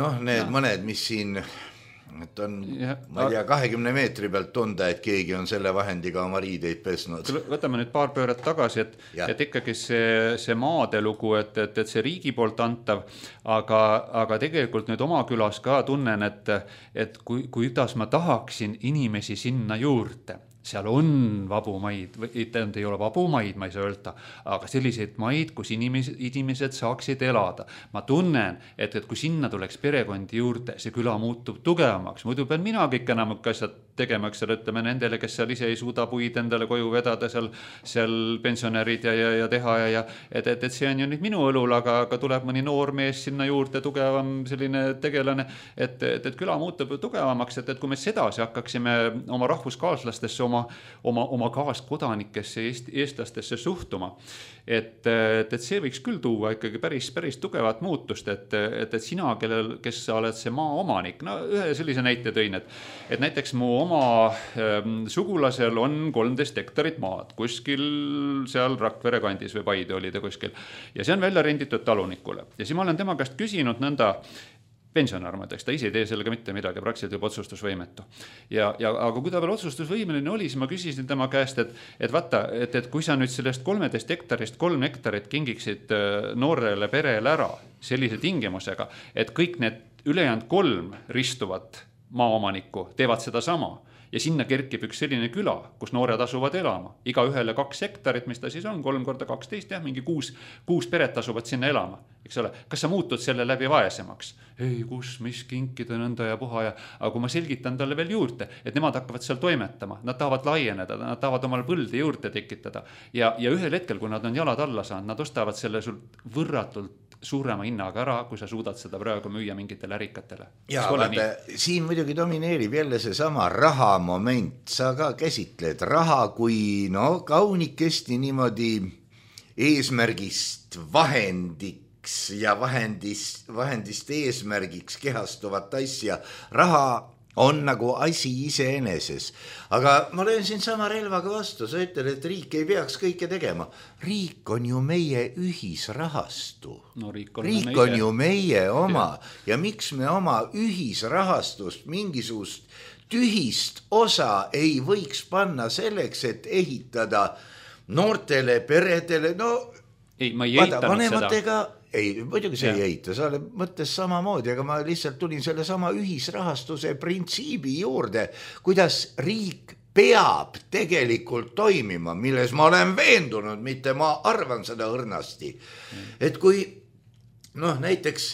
noh, need no. mõned, mis siin et on, ja, ma ei tea, kahekümne meetri pealt tunda, et keegi on selle vahendiga oma riideid pesnud. Võtame nüüd paar pööret tagasi, et, et ikkagi see, see maadelugu, et, et, et see riigi poolt antav, aga, aga tegelikult nüüd oma külas ka tunnen, et, et kui, kuidas ma tahaksin inimesi sinna juurde. Seal on vabu maid, tähendab, ei ole vabu maid, ma ei saa öelda, aga selliseid maid, kus inimesed, inimesed saaksid elada. Ma tunnen, et, et kui sinna tuleks perekondi juurde, see küla muutub tugevamaks. Muidu pean mina kõik enam asjad tegemaks, ütleme nendele, kes seal ise ei suuda puid endale koju vedada, seal, seal pensionärid ja, ja, ja teha ja, ja et, et, et see on ju nüüd minu õlul, aga, aga tuleb mõni noor mees sinna juurde, tugevam selline tegelane, et, et, et küla muutub tugevamaks, et, et kui me sedasi hakkaksime oma rahvuskaaslastesse, oma, oma, oma kaaskodanikesse, eest, eestlastesse suhtuma, et, et, et see võiks küll tuua ikkagi päris, päris tugevat muutust, et, et, et sina, kellel, kes sa oled see maa omanik, no ühe sellise näite tõin, et, et näiteks mu oma ähm, sugulasel on kolmteist hektarit maad, kuskil seal Rakvere kandis või Paide oli ta kuskil, ja see on välja renditud talunikule, ja siis ma olen tema käest küsinud nõnda, pensionär, ma ütleks, ta ise ei tee sellega mitte midagi, praktiliselt juba otsustusvõimetu. Ja, ja, aga kui ta veel otsustusvõimeline oli, siis ma küsisin tema käest, et, et vaata, et, et kui sa nüüd sellest kolmeteist hektarist kolm hektarit kingiksid noorele perele ära sellise tingimusega, et kõik need ülejäänud kolm ristuvat maaomanikku teevad seda sama ja sinna kerkib üks selline küla, kus noored asuvad elama. Iga ühele kaks hektarit, mis ta siis on, kolm korda kaksteist, jah, mingi kuus, kuus peret asuvad sinna elama. Eks ole, kas sa muutud selle läbi vaesemaks? Ei, kus, mis kinkida nõnda ja puha ja, aga kui ma selgitan talle veel juurde, et nemad hakkavad seal toimetama, nad tahavad laieneda, nad tahavad omal põlde juurde tekitada ja, ja ühel hetkel, kui nad on jalad alla saanud, nad ostavad selle sul võrratult suurema hinnaga ära, kui sa suudad seda praegu müüa mingitele ärikatele. Ja vaata, siin muidugi domineerib jälle see sama raha moment. Sa ka käsitled raha kui no kaunikesti niimoodi eesmärgist vahendiks ja vahendist, vahendist eesmärgiks kehastuvat asja. Raha on nagu asi iseeneses. Aga ma löön siin sama relvaga vastu. Sa ütled, et riik ei peaks kõike tegema. Riik on ju meie ühisrahastu. No, riik on, riik on ju meie oma. Ja. ja miks me oma ühisrahastust mingisugust tühist osa ei võiks panna selleks, et ehitada noortele peredele, no ei, ma ei vaata, vanematega seda. Ei, muidugi see ja. ei eita, sa mõttes samamoodi, aga ma lihtsalt tulin selle sama ühisrahastuse printsiibi juurde, kuidas riik peab tegelikult toimima, milles ma olen veendunud, mitte ma arvan seda õrnasti. Et kui, noh, näiteks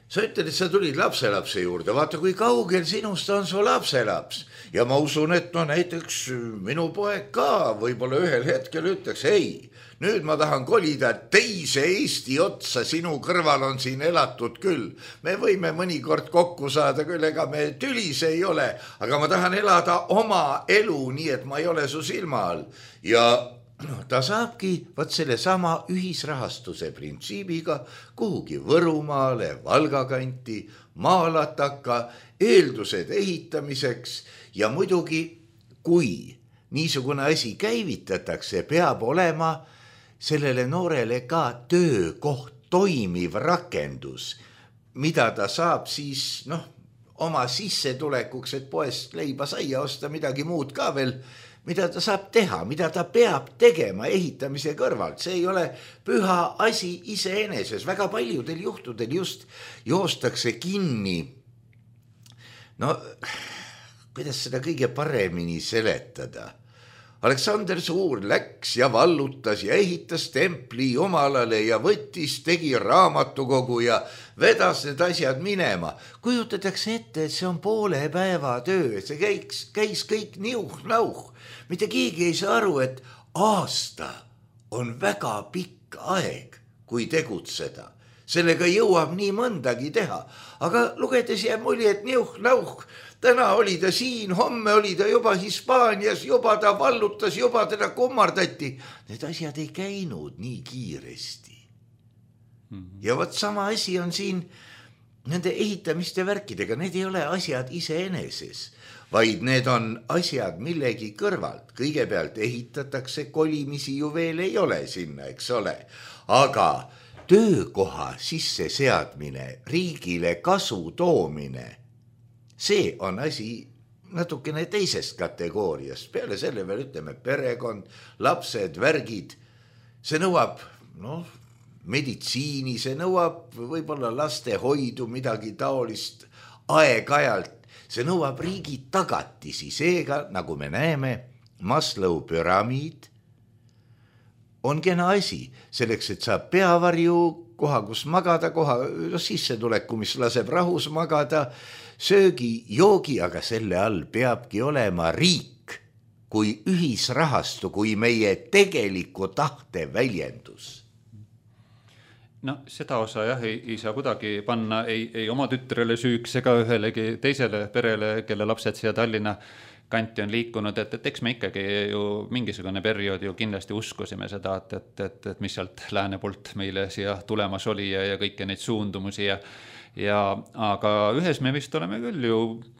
sa ütled, et sa tulid lapselapse juurde, vaata kui kaugel sinust on su lapselaps. Ja ma usun, et no näiteks minu poeg ka võib-olla ühel hetkel ütleks, ei, nüüd ma tahan kolida teise Eesti otsa, sinu kõrval on siin elatud küll. Me võime mõnikord kokku saada küll, ega me tülis ei ole, aga ma tahan elada oma elu, nii et ma ei ole su silma all. Ja no, ta saabki võt selle sama ühisrahastuse printsiibiga kuhugi Võrumaale, Valgakanti, maalataka, eeldused ehitamiseks ja muidugi, kui niisugune asi käivitatakse, peab olema sellele noorele ka töökoht, toimiv rakendus, mida ta saab siis noh, oma sissetulekuks, et poest leiba saia osta midagi muud ka veel, mida ta saab teha, mida ta peab tegema ehitamise kõrvalt. See ei ole püha asi iseeneses. Väga paljudel juhtudel just joostakse kinni. No, kuidas seda kõige paremini seletada? Aleksander Suur läks ja vallutas ja ehitas templi jumalale ja võttis, tegi raamatukogu ja vedas need asjad minema. Kujutatakse ette, et see on poole päeva töö, see käiks, käis kõik niuh-nauh. Mitte keegi ei saa aru, et aasta on väga pikk aeg, kui tegutseda. Sellega jõuab nii mõndagi teha, aga lugedes jääb mulje, et niuh-nauh. Täna oli ta siin, homme oli ta juba Hispaanias, juba ta vallutas, juba teda kummardati. Need asjad ei käinud nii kiiresti. Mm-hmm. Ja võt sama asi on siin nende ehitamiste värkidega. Need ei ole asjad iseeneses, vaid need on asjad millegi kõrvalt. Kõigepealt ehitatakse, kolimisi ju veel ei ole sinna, eks ole. Aga töökoha sisse seadmine, riigile kasu toomine, see on asi natukene teisest kategooriast. Peale selle veel ütleme perekond, lapsed, värgid. See nõuab no, meditsiini, see nõuab võib-olla laste hoidu, midagi taolist aeg-ajalt. See nõuab riigi tagatisi. Seega, nagu me näeme, Maslow püramiid on kena asi. Selleks, et saab peavarju, koha, kus magada, koha no, sissetuleku, mis laseb rahus magada, söögi, joogi, aga selle all peabki olema riik kui ühisrahastu, kui meie tegeliku tahte väljendus. No seda osa jah, ei, ei saa kuidagi panna ei, ei oma tütrele süüks ega ühelegi teisele perele, kelle lapsed siia Tallinna kanti on liikunud, et, et eks me ikkagi ju mingisugune periood ju kindlasti uskusime seda, et, et, et, et mis sealt lääne poolt meile siia tulemas oli ja, ja kõiki neid suundumusi ja Ja, aga ühes me vist oleme küll ju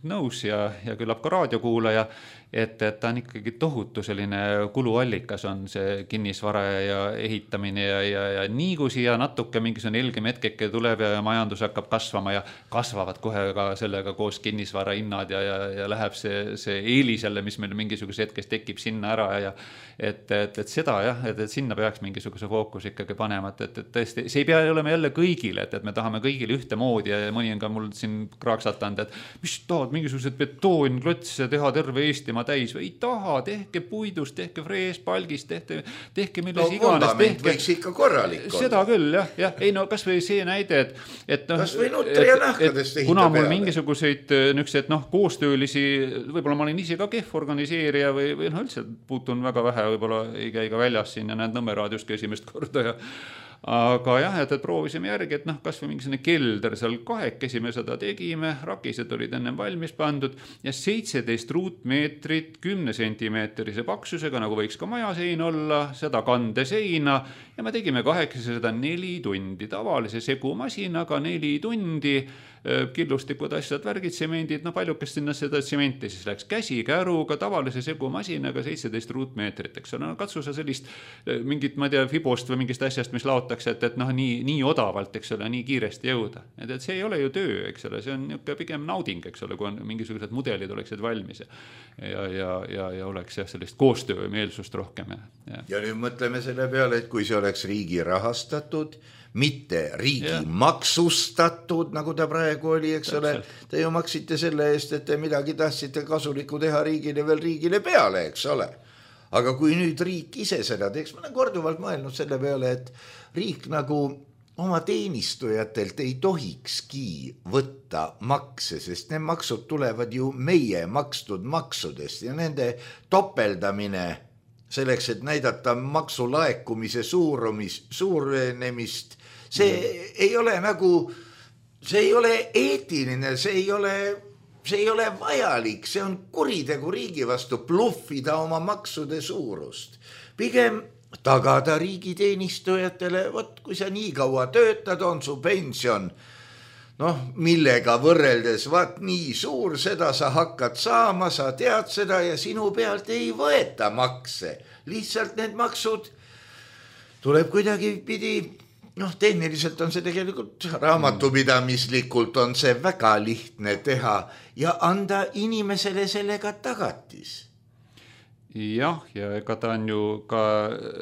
nõus ja, ja küllap ka raadiokuulaja, et, et ta on ikkagi tohutu selline kuluallikas on see kinnisvara ja ehitamine ja, ja, ja nii kui siia natuke mingisugune ilgem hetkeke tuleb ja majandus hakkab kasvama ja kasvavad kohe ka sellega koos kinnisvara hinnad ja, ja, ja läheb see, see eelis jälle, mis meil mingisuguse hetkes tekib sinna ära ja et, et, et seda jah, et, et sinna peaks mingisuguse fookus ikkagi panema, et, et, et tõesti, see ei pea olema jälle kõigile, et, et me tahame kõigile ühtemoodi poodi ja mõni on ka mul siin kraaksatanud, et mis tahad mingisugused betoonklotse teha terve Eestimaa täis või ei taha, tehke puidust, tehke freespalgist, tehke, tehke milles no, iganes. Tehke, võiks ikka korralik olla. Seda küll, jah, jah. Ei no kas või see näide, et, et no, kas või nutri ja nahkadest ehita kuna mul peale. Mingisuguseid nüksed, noh, koostöölisi, võib-olla ma olen ise ka kehv organiseerija või, või noh, üldse puutun väga vähe, võib-olla ei käi ka väljas siin ja näed Nõmme raadioski esimest korda ja aga jah, et, et proovisime järgi, et noh, kas või mingisugune kelder seal kahekesi me seda tegime, rakised olid ennem valmis pandud ja seitseteist ruutmeetrit kümne sentimeetrise paksusega, nagu võiks ka majasein olla, seda kandeseina ja me tegime kahekesi seda neli tundi, tavalise segumasinaga neli tundi, killustikud asjad, värgid, tsemendid, no paljukest sinna seda tsementi siis läks käsikäruga, tavalise segumasinaga seitseteist ruutmeetrit, eks ole, no katsu sa sellist mingit, ma tea, fibost või mingist asjast, mis laotakse, et, et noh, nii, nii odavalt, eks ole, nii kiiresti jõuda. Et, et see ei ole ju töö, eks ole, see on niisugune pigem nauding, eks ole, kui on mingisugused mudelid oleksid valmis ja, ja, ja, ja, ja oleks jah, sellist koostöömeelsust rohkem. Ja, ja. ja nüüd mõtleme selle peale, et kui see oleks riigi rahastatud, mitte riigi ja. maksustatud, nagu ta praegu oli, eks ole, te ju maksite selle eest, et te midagi tahtsite kasulikku teha riigile veel riigile peale, eks ole. Aga kui nüüd riik ise seda teeks, ma olen korduvalt mõelnud selle peale, et riik nagu oma teenistujatelt ei tohikski võtta makse, sest need maksud tulevad ju meie makstud maksudest ja nende topeldamine selleks, et näidata maksulaekumise suurumis, suurenemist, see ei ole nagu, see ei ole eetiline, see ei ole, see ei ole vajalik, see on kuritegu riigi vastu bluffida oma maksude suurust. Pigem tagada riigiteenistujatele, võt, kui sa nii kaua töötad, on su pension, noh, millega võrreldes, vaat nii suur, seda sa hakkad saama, sa tead seda ja sinu pealt ei võeta makse. Lihtsalt need maksud tuleb kuidagi pidi, noh, tehniliselt on see tegelikult raamatupidamislikult on see väga lihtne teha ja anda inimesele sellega tagatis. Jah, ja ega ta on ju ka,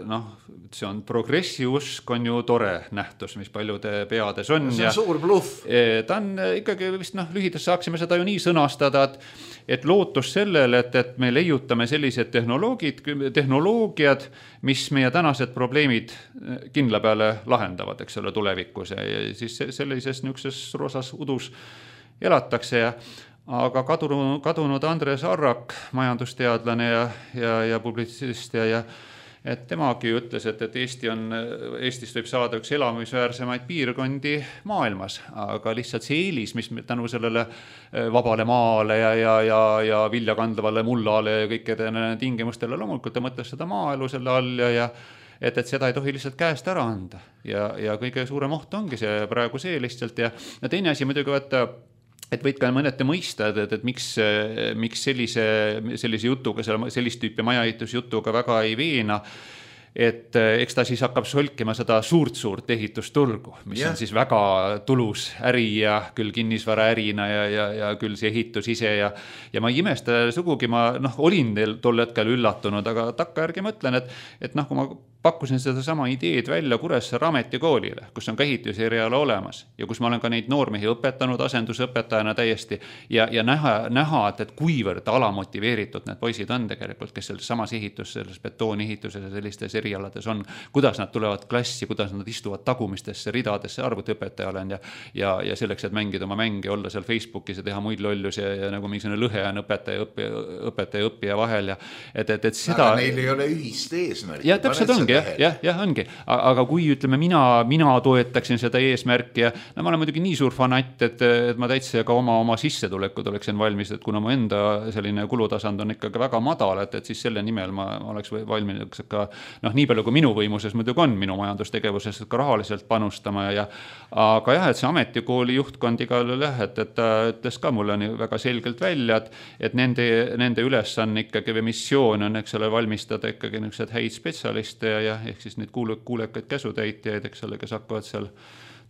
noh, see on progressiusk on ju tore nähtus, mis paljude peades on. See on ja suur bluff. Ta on ikkagi vist, noh, lühides saaksime seda ju nii sõnastada, et, et lootus sellele, et, et me leiutame sellised tehnoloogid, tehnoloogiad, mis meie tänased probleemid kindla peale lahendavad, eks ole, tulevikus ja, ja siis sellises niisuguses roosas udus elatakse ja aga kadunud, kadunud Andres Arrak, majandusteadlane ja, ja, ja publitsist ja, ja et temagi ütles, et, et Eesti on, Eestist võib saada üks elamisväärsemaid piirkondi maailmas, aga lihtsalt see eelis, mis tänu sellele vabale maale ja, ja, ja, ja viljakandvale mullale ja kõikide tingimustele loomulikult ta mõtles seda maaelu selle all ja, ja et, et seda ei tohi lihtsalt käest ära anda ja, ja kõige suurem oht ongi see praegu see lihtsalt ja, ja teine asi muidugi võtta et võid ka mõnete mõista, et, et, et miks, miks sellise, sellise jutuga, sellist tüüpi majaehitusjutuga väga ei veena, et eks ta siis hakkab solkima seda suurt-suurt ehitusturgu, mis yeah. on siis väga tulus äri ja küll kinnisvara ärina ja, ja, ja küll see ehitus ise ja, ja ma ei imesta sugugi, ma noh, olin tol hetkel üllatunud, aga takka järgi mõtlen, et, et noh, kui ma pakkusin seda sama ideed välja Kuressaare ametikoolile, kus on ka ehituseriala olemas ja kus ma olen ka neid noormehi õpetanud asendusõpetajana täiesti ja, ja näha, näha et, et kuivõrd alamotiveeritud need poisid on tegelikult, kes selles samas ehitus, selles betoonehituses ja sellistes erialades on, kuidas nad tulevad klassi, kuidas nad istuvad tagumistesse ridadesse, arvutiõpetaja olen ja, ja, ja selleks, et mängida oma mänge, olla seal Facebookis ja teha muid lollus ja, ja nagu mingisugune lõhe on õpetaja, õppija, õpetaja ja õppija vahel ja et, et, et seda... Aga neil ei ole ühist eesmärki. Ja täpselt ongi, jah, jah, jah, ongi. Aga kui ütleme, mina, mina toetaksin seda eesmärki ja no, ma olen muidugi nii suur fanatt, et, et ma täitsa ka oma, oma sissetulekud oleksin valmis, et kuna mu enda selline kulutasand on ikkagi väga madal, et, et siis selle nimel ma oleks valmis ka noh, nii palju kui minu võimuses muidugi on minu majandustegevuses ka rahaliselt panustama ja aga jah, et see ametikooli juhtkond igal jah, et, et ta ütles ka mulle on väga selgelt välja, et, et nende, nende ülesanne ikkagi või missioon on, eks ole, valmistada ikkagi niisugused häid spetsialiste ja, ja ehk siis neid kuule, kuulekaid käsutäitjaid, eks ole, kes hakkavad seal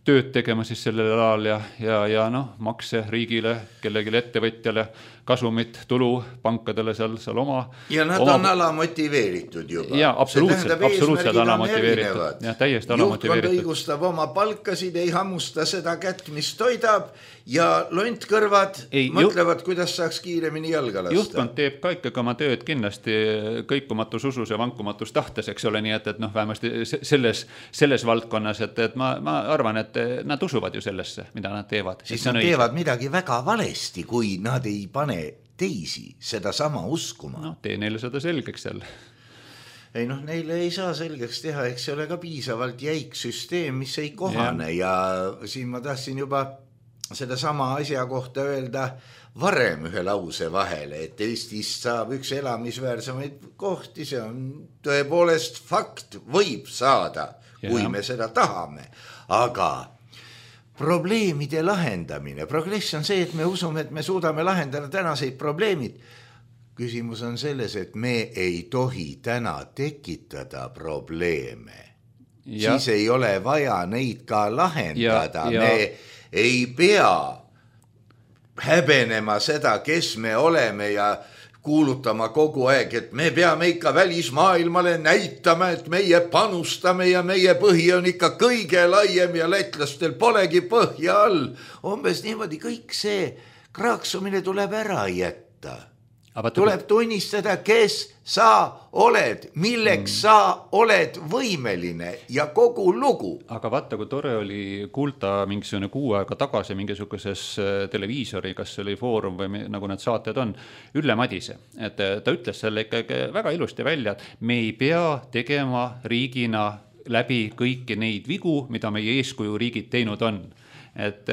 tööd tegema siis sellel alal ja, ja, ja noh, makse riigile, kellegile ettevõtjale kasumit, tulu pankadele seal, seal oma. Ja nad oma... on alamotiveeritud juba. Ja, absoluutselt, absoluutselt alamotiveeritud. Ja, täiesti alamotiveeritud. Juhtkond õigustab oma palkasid, ei hammusta seda kätt, mis toidab ja lontkõrvad ei, mõtlevad, kuidas saaks kiiremini jalga lasta. Juhtkond teeb ka ikkagi oma tööd kindlasti kõikumatus usus ja vankumatus tahtes, eks ole, nii et, et noh, vähemasti selles, selles valdkonnas, et, et ma, ma arvan, et nad usuvad ju sellesse, mida nad teevad. Siis nad teevad midagi väga valesti, kui nad ei pane teisi seda sama uskuma. No, tee neile seda selgeks jälle. Ei noh, neile ei saa selgeks teha, eks see ole ka piisavalt jäik süsteem, mis ei kohane ja, ja siin ma tahtsin juba seda sama asja kohta öelda varem ühe lause vahele, et Eestist saab üks elamisväärsemaid kohti, see on tõepoolest fakt, võib saada, kui ja. me seda tahame, aga probleemide lahendamine. Progress on see, et me usume, et me suudame lahendada tänaseid probleemid. Küsimus on selles, et me ei tohi täna tekitada probleeme. Ja. Siis ei ole vaja neid ka lahendada. Ja, ja. Me ei pea häbenema seda, kes me oleme ja kuulutama kogu aeg, et me peame ikka välismaailmale näitama, et meie panustame ja meie põhi on ikka kõige laiem ja lätlastel polegi põhja all. Umbes niimoodi kõik see kraaksumine tuleb ära jätta. Tuleb tunnistada, kes sa oled, milleks mm. sa oled võimeline ja kogu lugu. Aga vaata, kui tore oli kuulda mingisugune kuu aega tagasi mingisuguses televiisori, kas oli Foorum või nagu need saated on, Ülle Madise. Et ta ütles selle ikkagi väga ilusti välja, et me ei pea tegema riigina läbi kõiki neid vigu, mida meie eeskuju riigid teinud on. Et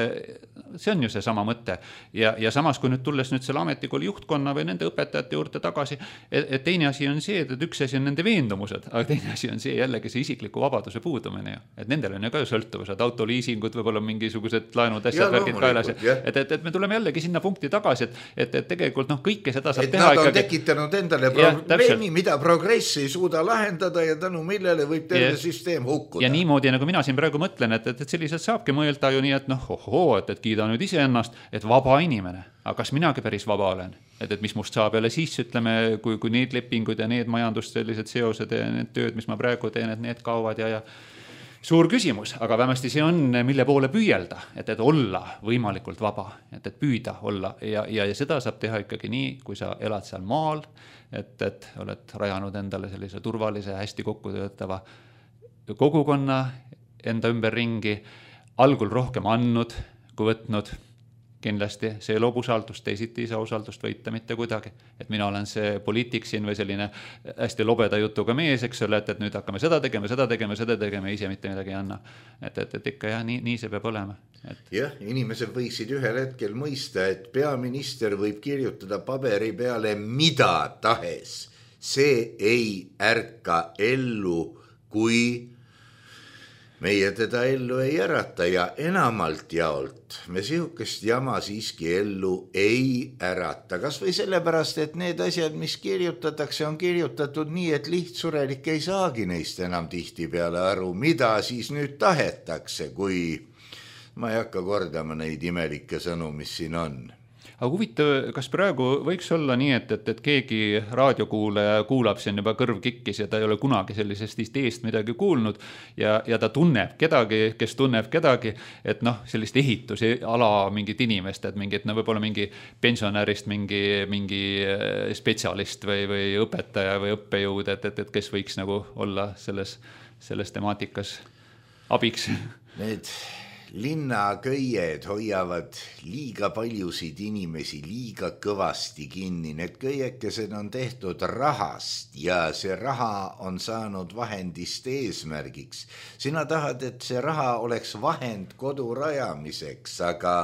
see on ju see sama mõte ja, ja samas kui nüüd tulles nüüd selle ametikooli juhtkonna või nende õpetajate juurde tagasi, et, et teine asi on see, et üks asi on nende veendumused, aga teine asi on see jällegi see isikliku vabaduse puudumine ju. Et nendel on ju ka ju sõltuvused, autoliisingud, võib-olla mingisugused laenud asjad, värgid kaelas, et, et, et me tuleme jällegi sinna punkti tagasi, et, et, et tegelikult noh, kõike seda saab et teha nad on ikkagi... tekitanud endale probleemi, mida progress ei suuda lahendada ja tänu millele võib terve ja, süsteem hukkuda. Ja niimoodi, nagu mina siin praegu mõtlen, et, et, et sellised saabki mõelda ju nii, et noh, ohoo, et, et kiida nüüd ise ennast, et vaba inimene, aga kas minagi päris vaba olen, et, et mis must saab jälle siis, ütleme, kui, kui need lepingud ja need majandust sellised seosed ja need tööd, mis ma praegu teen, et need kaovad ja, ja suur küsimus, aga vähemasti see on, mille poole püüelda, et, et olla võimalikult vaba, et, et püüda olla ja, ja, ja seda saab teha ikkagi nii, kui sa elad seal maal, et, et oled rajanud endale sellise turvalise, hästi kokku töötava kogukonna enda ümber ringi, algul rohkem andnud, kui võtnud, kindlasti see loob usaldust, teisiti ei saa usaldust võita mitte kuidagi. Et mina olen see poliitik siin või selline hästi lobeda jutuga mees, eks ole, et, et nüüd hakkame seda tegema, seda tegema, seda tegema, ise mitte midagi ei anna. Et, et, et ikka jah, nii, nii see peab olema. Et... jah, inimesed võiksid ühel hetkel mõista, et peaminister võib kirjutada paberi peale mida tahes. See ei ärka ellu, kui meie teda ellu ei ärata ja enamalt jaolt me sihukest jama siiski ellu ei ärata. Kas või sellepärast, et need asjad, mis kirjutatakse, on kirjutatud nii, et lihtsurelik ei saagi neist enam tihti peale aru, mida siis nüüd tahetakse, kui ma ei hakka kordama neid imelikke sõnu, mis siin on. Aga huvitav, kas praegu võiks olla nii, et, et, et keegi raadiokuulaja kuulab siin juba kõrv kikkis ja ta ei ole kunagi sellisest ideest midagi kuulnud ja, ja ta tunneb kedagi, kes tunneb kedagi, et noh, sellist ehitusi ala mingit inimest, et mingit, no võib-olla mingi pensionärist, mingi, mingi spetsialist või, või õpetaja või õppejõud, et, et, et kes võiks nagu olla selles, selles temaatikas abiks. Need linnaköied hoiavad liiga paljusid inimesi liiga kõvasti kinni. Need köiekesed on tehtud rahast ja see raha on saanud vahendist eesmärgiks. Sina tahad, et see raha oleks vahend kodu rajamiseks, aga,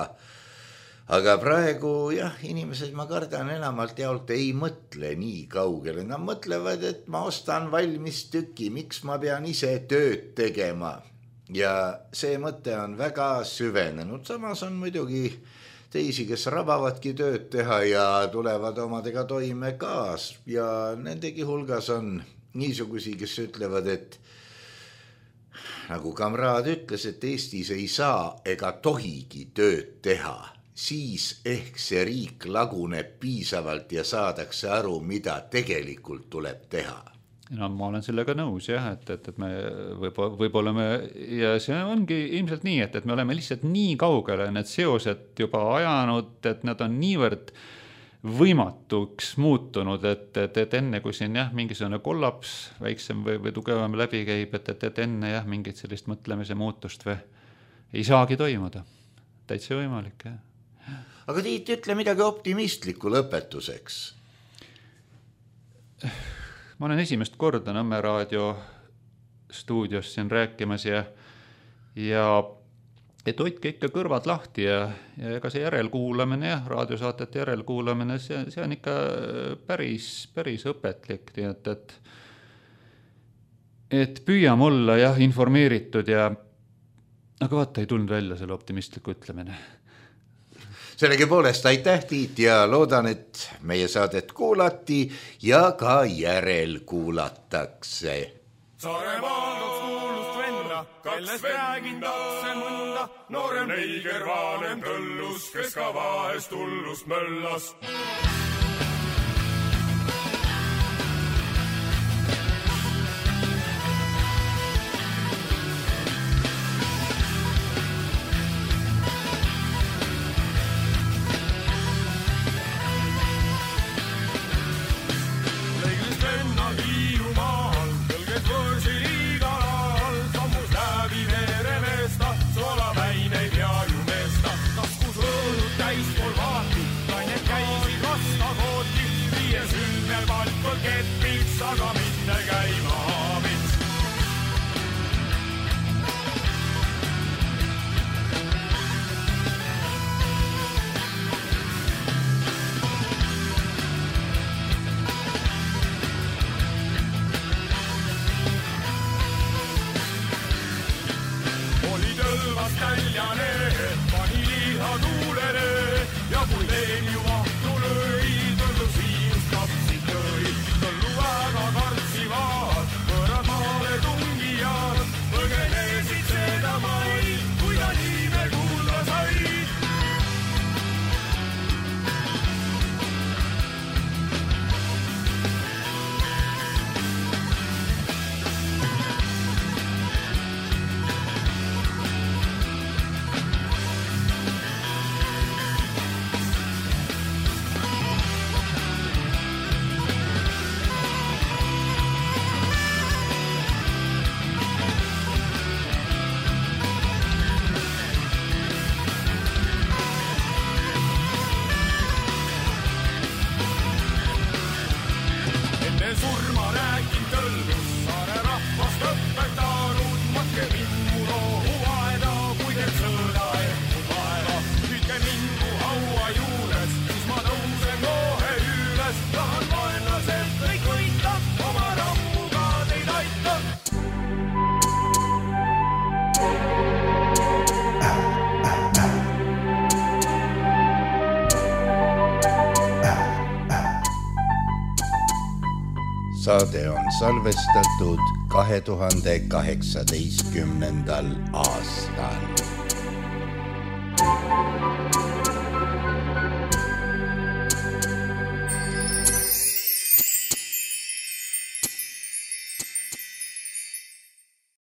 aga praegu jah, inimesed, ma kardan enamalt jaolt ei mõtle nii kaugele. Nad mõtlevad, et ma ostan valmis tüki, miks ma pean ise tööd tegema. Ja see mõte on väga süvenenud, samas on muidugi teisi, kes rabavadki tööd teha ja tulevad omadega toime kaas ja nendegi hulgas on niisugusi, kes ütlevad, et nagu kamraad ütles, et Eestis ei saa ega tohigi tööd teha siis ehk see riik laguneb piisavalt ja saadakse aru, mida tegelikult tuleb teha. No ma olen sellega nõus jah, et, et, et me võib-olla, võib-olla me, ja see ongi ilmselt nii, et, et me oleme lihtsalt nii kaugele need seosed juba ajanud, et nad on niivõrd võimatuks muutunud, et, et, et enne kui siin jah, mingisugune kollaps väiksem või, või tugevam läbi käib, et, et, et enne jah, mingit sellist mõtlemise muutust või ei saagi toimuda. Täitsa võimalik jah. Aga Tiit, ütle midagi optimistlikku lõpetuseks. Ma olen esimest korda Nõmme raadio stuudios siin rääkimas ja, ja et hoidke ikka kõrvad lahti ja, ja ega see järelkuulamine, jah, raadiosaatete järelkuulamine, see, see on ikka päris, päris õpetlik, nii et, et, et püüam olla jah, informeeritud ja aga vaata, ei tulnud välja selle optimistliku ütlemine. Sellegi poolest aitäh, Tiit, ja loodan, et meie saadet kuulati ja ka järel kuulatakse. Saaremaal kaks kuulust venna, kellest räägin tatse mõnda, noorem neiger vanem tõllus, kes ka vahest hullust möllas. Saade on salvestatud kahe tuhande kaheksateistkümnendal aastal.